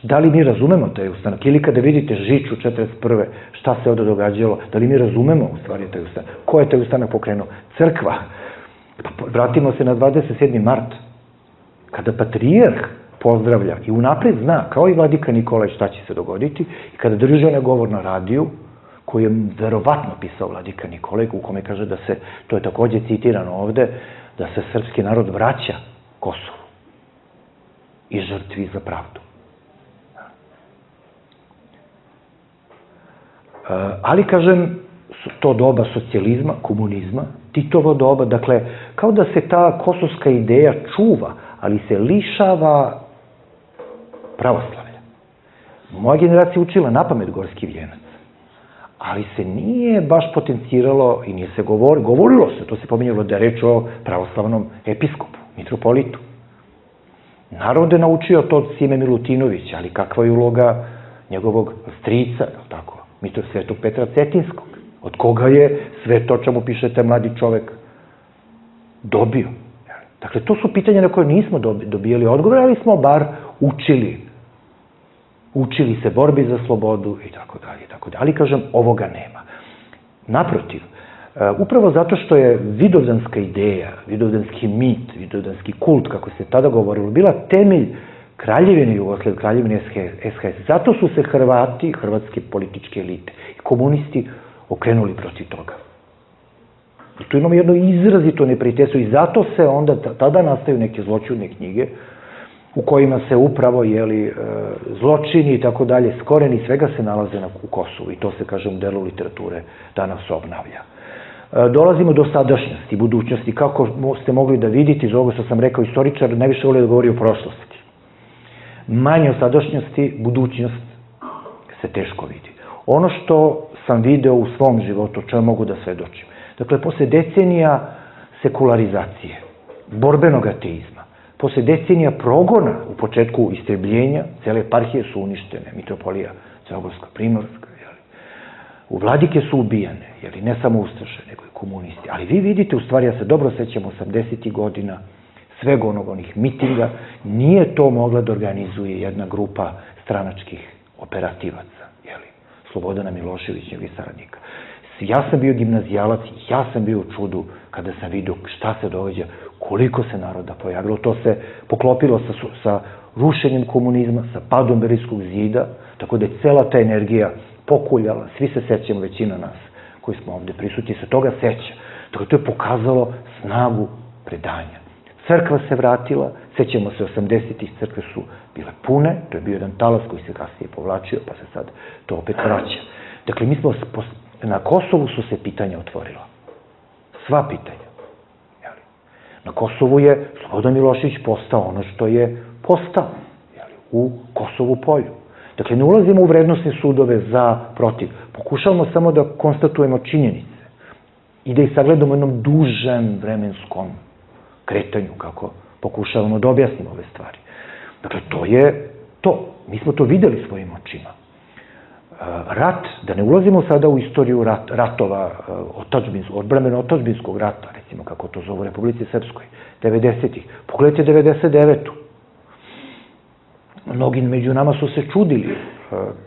Da li mi razumemo taj ustanak? Ili kada vidite Žiču 41. šta se ovdje događalo, da li mi razumemo u stvari taj ustanak? Ko je taj ustanak pokrenuo? Crkva. Vratimo se na 27. mart, kada patrijarh pozdravlja i unapred zna, kao i vladika Nikolaj, šta će se dogoditi, i kada drži onaj govor na radiju, koji je verovatno pisao vladika Nikolaj, u kome kaže da se, to je takođe citirano ovde, da se srpski narod vraća Kosovu i žrtvi za pravdu. Ali, kažem, to doba socijalizma, komunizma, Titovo doba, dakle, kao da se ta kosovska ideja čuva, ali se lišava pravoslavlja. Moja generacija učila napamet Gorski vijenac, ali se nije baš potenciralo i nije se govorilo se, to se pominjalo da je reč o pravoslavnom episkopu, mitropolitu. Narod je naučio to od Sime Milutinovića, ali kakva je uloga njegovog strica, tako, Svetog Petra Cetinskog, od koga je sve to čemu pišete mladi čovek dobio. Dakle, to su pitanja na koje nismo dobijali odgovor, ali smo bar učili. Učili se borbi za slobodu i tako dalje, i tako dalje. Ali, kažem, ovoga nema. Naprotiv, upravo zato što je vidovdanska ideja, vidovdanski mit, vidovdanski kult, kako se tada govorilo, bila temelj Kraljevine Jugoslavije, Kraljevine SHS. Zato su se Hrvati, hrvatske političke elite i komunisti okrenuli protiv toga. I tu imamo jedno izrazito neprijateljstvo i zato se onda, tada nastaju neke zloćudne knjige u kojima se upravo, zločini i tako dalje, skoreni svega se nalaze u Kosovu i to se, kažem, u delu literature danas obnavlja. Dolazimo do sadašnjosti, budućnosti. Kako ste mogli da vidite iz ovoga što sam rekao, istoričar najviše voli da govori o prošlosti. Manje o sadašnjosti, budućnost se teško vidi. Ono što sam video u svom životu, čemu mogu da svedočim. Dakle, posle decenija sekularizacije, borbenog ateizma, posle decenija progona u početku istrebljenja, cele eparhije su uništene, mitropolija Crnogorska, Primorska, u vladike su ubijane, ne samo ustaše, nego i komunisti. Ali vi vidite, u stvari, ja se dobro sećam 80. godina, svega onih mitinga, nije to mogla da organizuje jedna grupa stranačkih operativaca, Slobodana Miloševića i saradnika. Ja sam bio gimnazijalac, ja sam bio u čudu kada sam vidio šta se događa, koliko se naroda pojavilo. To se poklopilo sa rušenjem komunizma, sa padom Berlinskog zida, tako da je cela ta energija pokuljala. Svi se sećamo, većina nas koji smo ovde prisutni, se toga seća. Dakle, to je pokazalo snagu predanja. Crkva se vratila, sećamo se 80-ih, crkve su bile pune, to je bio jedan talas koji se kasnije povlačio, pa se sad to opet vraća. Dakle, na Kosovu su se pitanja otvorila. Sva pitanja. Na Kosovu je Slobodan Milošević postao ono što je postao u Kosovu polju. Dakle, ne ulazimo u vrednostne sudove za, protiv. Pokušavamo samo da konstatujemo činjenice i da ih sagledamo u jednom dužem vremenskom kretanju, kako pokušavamo da objasnimo ove stvari. Dakle, to je to. Mi smo to videli svojim očima. Rat, da ne ulazimo sada u istoriju ratova, odbrambeno-otadžbinskog rata, recimo kako to zove u Republici Srpskoj, 90-ih. Pogledajte 99-u. Mnogi među nama su se čudili.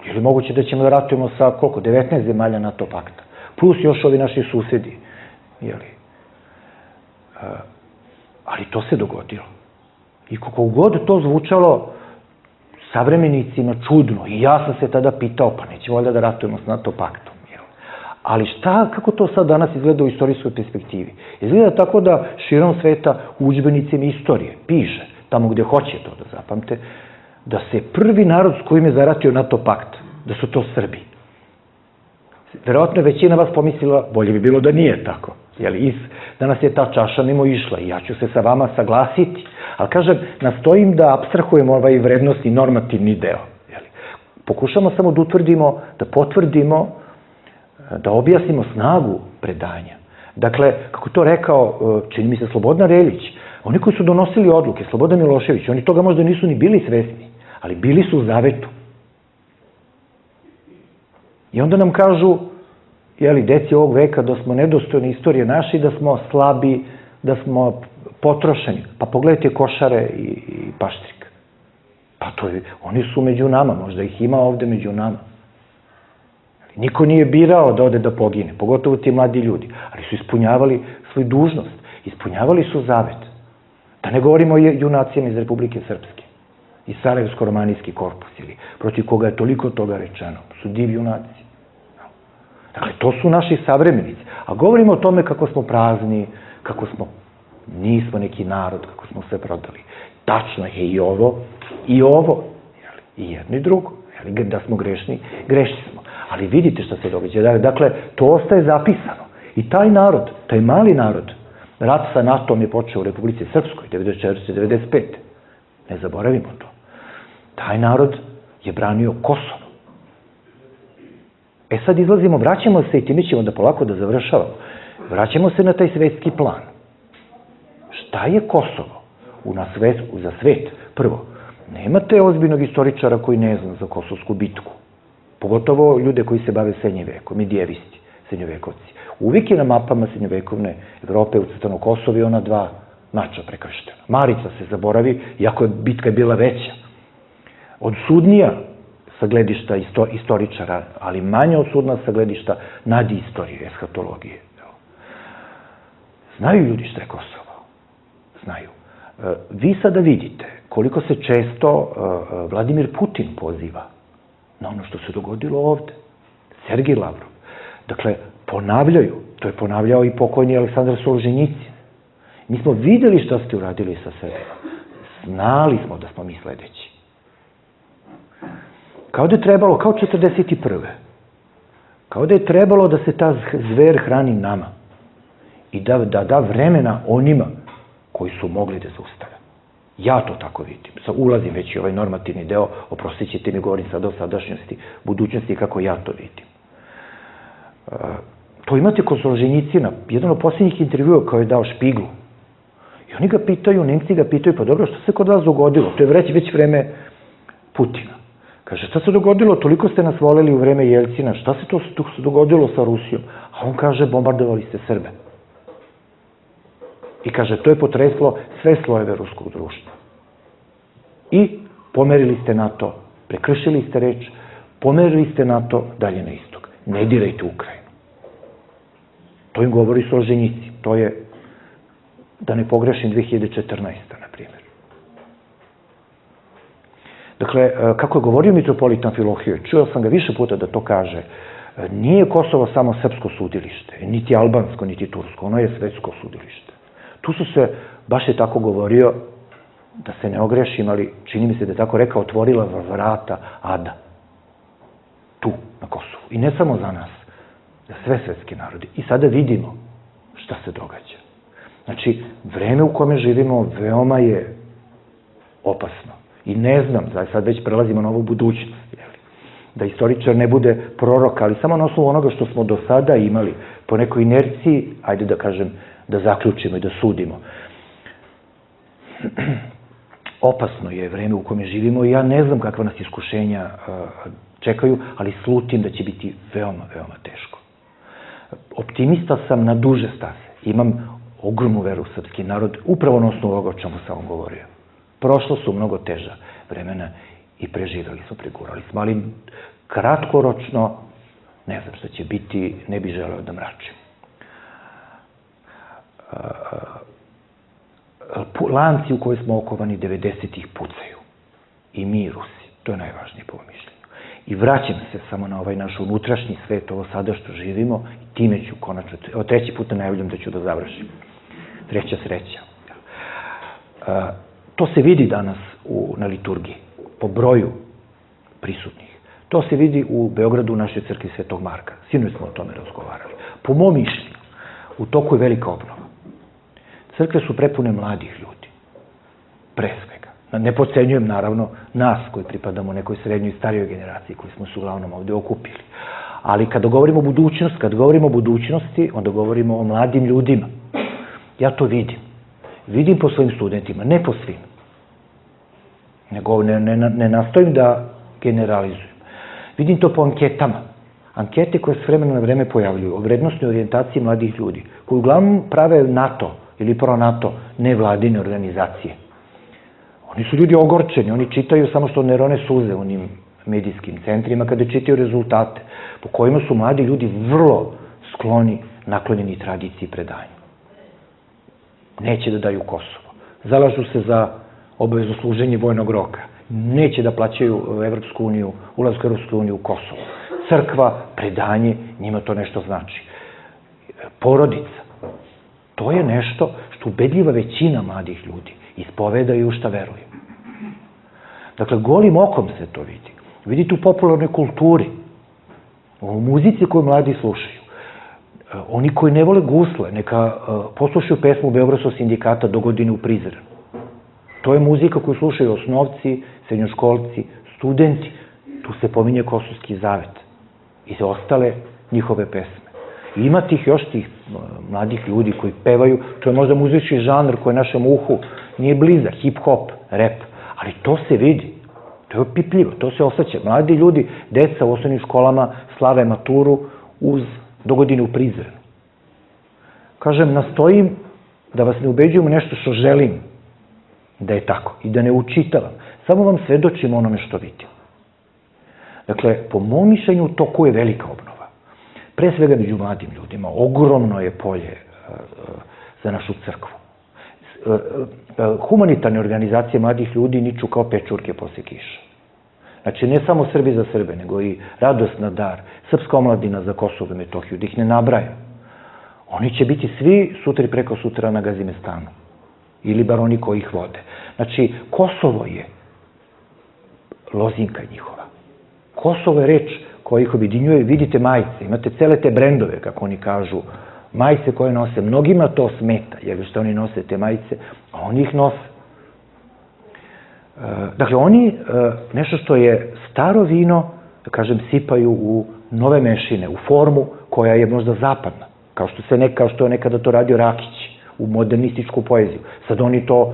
Je li moguće da ćemo da ratujemo sa, 19 zemalja NATO pakta? Plus još ovi naši susedi. Ali to se dogodilo. I kako god to zvučalo savremenicima čudno, i ja sam se tada pitao, pa nećemo valjda da ratujemo s NATO paktom. Ali kako to sad danas izgleda u istorijskoj perspektivi? Izgleda tako da širom sveta u udžbenicima istorije piše, tamo gde hoće to da zapamte, da se prvi narod s kojim je zaratio NATO pakt, da su to Srbi. Verovatno je većina vas pomislila, bolje bi bilo da nije tako. Danas je ta čaša mimo išla i ja ću se sa vama saglasiti. Ali, kažem, nastojim da apstrahujemo ovaj vrednostni normativni deo. Pokušamo samo da utvrdimo, da potvrdimo, da objasnimo snagu predanja. Dakle, kako to rekao, čini mi se, Slobodan Reljić, oni koji su donosili odluke, Slobodan Milošević, oni toga možda nisu ni bili svesni, ali bili su u zavetu. I onda nam kažu, deci ovog veka, da smo nedostojni istorije naše, da smo slabi, da smo potrošeni. Pa pogledajte Košare i Paštrik. Pa oni su među nama, možda ih ima ovde među nama. Niko nije birao da ode da pogine, pogotovo ti mladi ljudi, ali su ispunjavali svoju dužnost, ispunjavali su zavet. Da ne govorimo o junacima iz Republike Srpske, iz Sarajevsko-romanijski korpus, protiv koga je toliko toga rečeno, su div junaci. Dakle, to su naši savremenici. A govorimo o tome kako smo prazni, kako nismo neki narod, kako smo sve prodali. Tačno je i ovo, i jedno i drugo. Da smo grešni, grešni smo. Ali vidite šta se događa. Dakle, to ostaje zapisano. I taj narod, taj mali narod, rat sa NATO-om je počeo u Republici Srpskoj, 1994-1995. Ne zaboravimo to. Taj narod je branio Kosovo. Sad izlazimo, vraćamo se i time ćemo da polako da završavamo. Vraćamo se na taj svetski plan. Šta je Kosovo za svet? Prvo, nemate ozbiljnog istoričara koji ne zna za Kosovsku bitku. Pogotovo ljude koji se bave srednjim vekom, medijevisti, srednjovekovci. Uvijek je na mapama srednjovekovne Evrope ucrtano Kosovo i ona dva mača prekrštena. Marica se zaboravi, iako je bitka bila veća. Odsudnija sa gledišta istoričara, ali manje odsudna sa gledišta nadistorije, eshatologije. Znaju ljudi šta je Kosovo. Znaju. Vi sada vidite koliko se često Vladimir Putin poziva na ono što se dogodilo ovde. Sergij Lavrov. Dakle, ponavljaju. To je ponavljao i pokojni Aleksandar Solženjicin. Mi smo videli šta ste uradili sa Srbima. Znali smo da smo mi sledeći. Kao da je trebalo, kao 1941. Kao da je trebalo da se ta zver hrani nama i da da vremena onima koji su mogli da zaustave. Ja to tako vidim. Ulazim već i ovaj normativni deo, oprostit ćete mi, govorim sada o sadašnjosti, budućnosti, kako ja to vidim. To imate kod Solženjicina, jedan od posljednjih intervjua koji je dao Špiglu. I oni ga pitaju, Nemci ga pitaju, pa dobro, što se kod vas dogodilo? To je već vreme Putina. Kaže, šta se dogodilo? Toliko ste nas voleli u vreme Jelcina, šta se to dogodilo sa Rusijom? A on kaže, bombardovali ste Srbe. I kaže, to je potreslo sve slojeve ruskog društva. I pomerili ste NATO, prekršili ste reč, pomerili ste NATO dalje na istok. Ne dirajte Ukrajinu. To im govori Solženjicin. To je, da ne pogrešim, 2014. na primjer. Dakle, kako je govorio mitropolit Amfilohije, čuo sam ga više puta da to kaže, nije Kosovo samo srpsko sudilište, niti albansko, niti tursko, ono je svetsko sudilište. Tu su se, baš je tako govorio, da se ne ogrešim, ali čini mi se da je tako rekao, otvorila vrata Ada. Tu, na Kosovu. I ne samo za nas, za sve svetski narodi. I sada vidimo šta se događa. Znači, vreme u kome živimo veoma je opasno. I ne znam, sad već prelazimo na ovu budućnost, da istoričar ne bude prorok, ali samo na osnovu onoga što smo do sada imali, po nekoj inerciji, ajde da kažem, da zaključimo i da sudimo. Opasno je vreme u kome živimo i ja ne znam kakva nas iskušenja čekaju, ali slutim da će biti veoma, veoma teško. Optimista sam na duže staze. Imam ogromnu veru u srpski narod, upravo na osnovu ovoga o čemu sam vam govorio. Prošlo su mnogo teža vremena i preživjeli smo, pregurali smo, ali kratkoročno, ne znam šta će biti, ne bih želeo da mračim. Lanci u koje smo okovani 90-ih pucaju. I mi i Rusi. To je najvažnije po mišljenju. I vraćam se samo na ovaj naš unutrašnji svet, ovo sada što živimo, i time ću konačno, treći put najavljam da ću da završim. Treća sreća. To se vidi danas na liturgiji, po broju prisutnih. To se vidi u Beogradu u našoj crkvi Svetog Marka. Sinoć smo o tome razgovarali. Po mom mišljenju, u toku je velika obnova. Crkve su prepune mladih ljudi. Pre svega. Ne podcenjujem, naravno, nas koji pripadamo nekoj srednjoj i starijoj generaciji koji smo se uglavnom ovde okupili. Ali kada govorimo o budućnosti, onda govorimo o mladim ljudima. Ja to vidim. Vidim po svojim studentima, ne po svim. Ne nastojim da generalizujem. Vidim to po anketama. Ankete koje se vremena na vreme pojavljuju o vrednostnoj orijentaciji mladih ljudi, koji uglavnom prave NATO ili pro-NATO nevladine organizacije. Oni su ljudi ogorčeni, oni čitaju samo što ne rone suze u onim medijskim centrima kada čitaju rezultate, po kojima su mladi ljudi vrlo skloni, naklonjeni tradiciji i predanju. Neće da daju Kosovo. Zalažu se za obavezno služenje vojnog roka. Neće da plaćaju Evropsku uniju, ulazku u Evropsku uniju u Kosovo. Crkva, predanje, njima to nešto znači. Porodica. To je nešto što ubedljiva većina mladih ljudi ispovedaju u šta veruju. Dakle, golim okom se to vidi. Vidite u popularnoj kulturi. o muzici koju mladi slušaju. Oni koji ne vole gusle, neka poslušaju pesmu Beogradskog sindikata Dogodine u Prizrenu. To je muzika koju slušaju osnovci, srednjoškolci, studenti. Tu se pominje Kosovski zavet i ostale njihove pesme. I ima još tih mladih ljudi koji pevaju, to je možda muzički žanr koji našem uhu nije blizak, hip-hop, rap, ali to se vidi, to je opipljivo, to se osjeća. Mladi ljudi, deca u osnovnim školama slave maturu uz Dogodine u Prizrenu. Kažem, nastojim da vas ne ubeđujem u nešto što želim da je tako i da ne učitavam. Samo vam svedočim onome što vidim. Dakle, po mom mišljenju, u toku je velika obnova. Pre svega među mladim ljudima. Ogromno je polje za našu crkvu. Humanitarne organizacije mladih ljudi niču kao pečurke posle kiša. Znači, ne samo Srbi za Srbe, nego i Radost na dar, Srpska omladina za Kosovo i Metohiju, da ih ne nabrajam. Oni će biti svi sutra i preko sutra na Gazimestanu. Ili bar oni koji ih vode. Znači, Kosovo je lozinka njihova. Kosovo je reč koja ih objedinjuje. Vidite majice, imate cele te brendove, kako oni kažu, majice koje nose. Mnogima to smeta, jer što oni nose te majice, a oni ih nose. Dakle, oni nešto što je staro vino, da kažem, sipaju u nove mešine, u formu koja je možda zapadna, kao što je nekada to radio Rakić, u modernističku poeziju. Sad oni to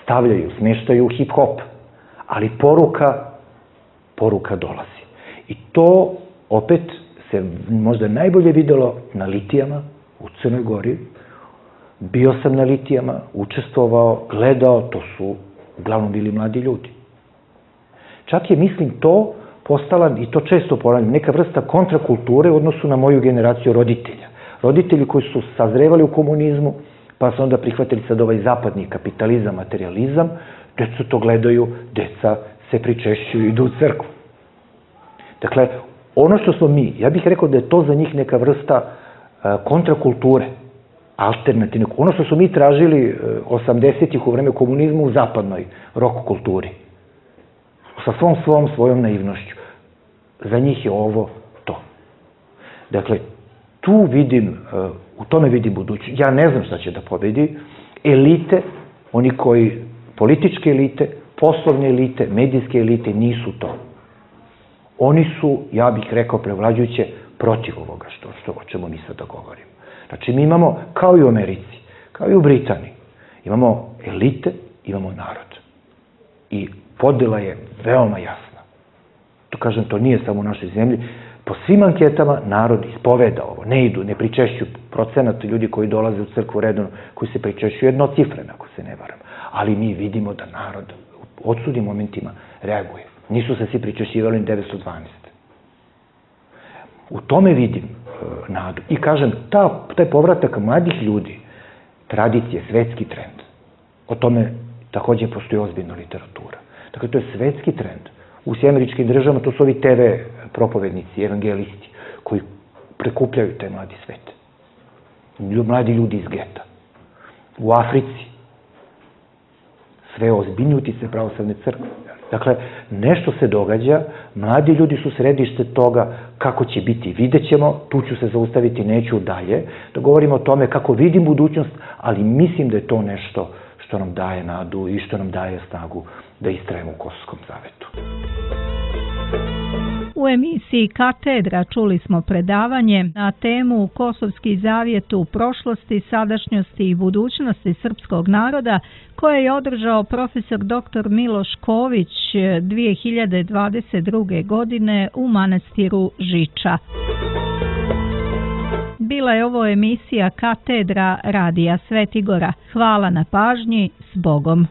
stavljaju, smeštaju u hip-hop, ali poruka dolazi. I to opet se možda najbolje videlo na litijama u Crnoj Gori. Bio sam na litijama, učestvovao, gledao, to su uglavnom bili mladi ljudi. Čak je, mislim, to postala, i to često ponavljam, neka vrsta kontrakulture u odnosu na moju generaciju roditelja. Roditelji koji su sazrevali u komunizmu, pa su onda prihvatili sad ovaj zapadni kapitalizam, materializam, deca to gledaju, deca se pričešćuju i idu u crkvu. Dakle, ono što smo mi, ja bih rekao da je to za njih neka vrsta kontrakulture, alternativne. Ono što su mi tražili 80-ih u vreme komunizma u zapadnoj rock kulturi. Sa svojom naivnošću. Za njih je ovo to. Dakle, u tome vidim budućnost. Ja ne znam šta će da pobedi. Elite, oni koji, političke elite, poslovne elite, medijske elite, nisu to. Oni su, ja bih rekao, prevlađujuće protiv ovoga o čemu mi sada govorimo. Znači, mi imamo, kao i u Americi, kao i u Britaniji, imamo elite, imamo narod. I podela je veoma jasna. To kažem, to nije samo u našoj zemlji. Po svim anketama narod ispoveda ovo. Ne idu, ne pričešćuju procenat ljudi koji dolaze u crkvu redovno, koji se pričešćuju jednocifreno, ako se ne varam. Ali mi vidimo da narod u odsudnim momentima reaguje. Nisu se svi pričešćivali 1912. U tome vidim nadu. I kažem, taj povratak mladih ljudi, tradicije, svetski trend, o tome takođe postoji ozbiljna literatura. Dakle, to je svetski trend. U Američkim državama to su ovi TV propovednici, evangelisti, koji prekupljaju taj mladi svet. Mladi ljudi iz geta. U Africi sve ozbiljnije utice pravoslavne crkve. Dakle, nešto se događa, mladi ljudi su središte toga kako će biti. Vidjet ćemo, tu ću se zaustaviti, neću dalje, da govorimo o tome kako vidim budućnost, ali mislim da je to nešto što nam daje nadu i što nam daje snagu da istrajemo u Kosovskom zavetu. U emisiji Katedra čuli smo predavanje na temu Kosovski zavjet u prošlosti, sadašnjosti i budućnosti srpskog naroda koje je održao profesor dr. Miloš Ković 2022. godine u manastiru Žiča. Bila je ovo emisija Katedra Radija Svetigora. Hvala na pažnji, s Bogom.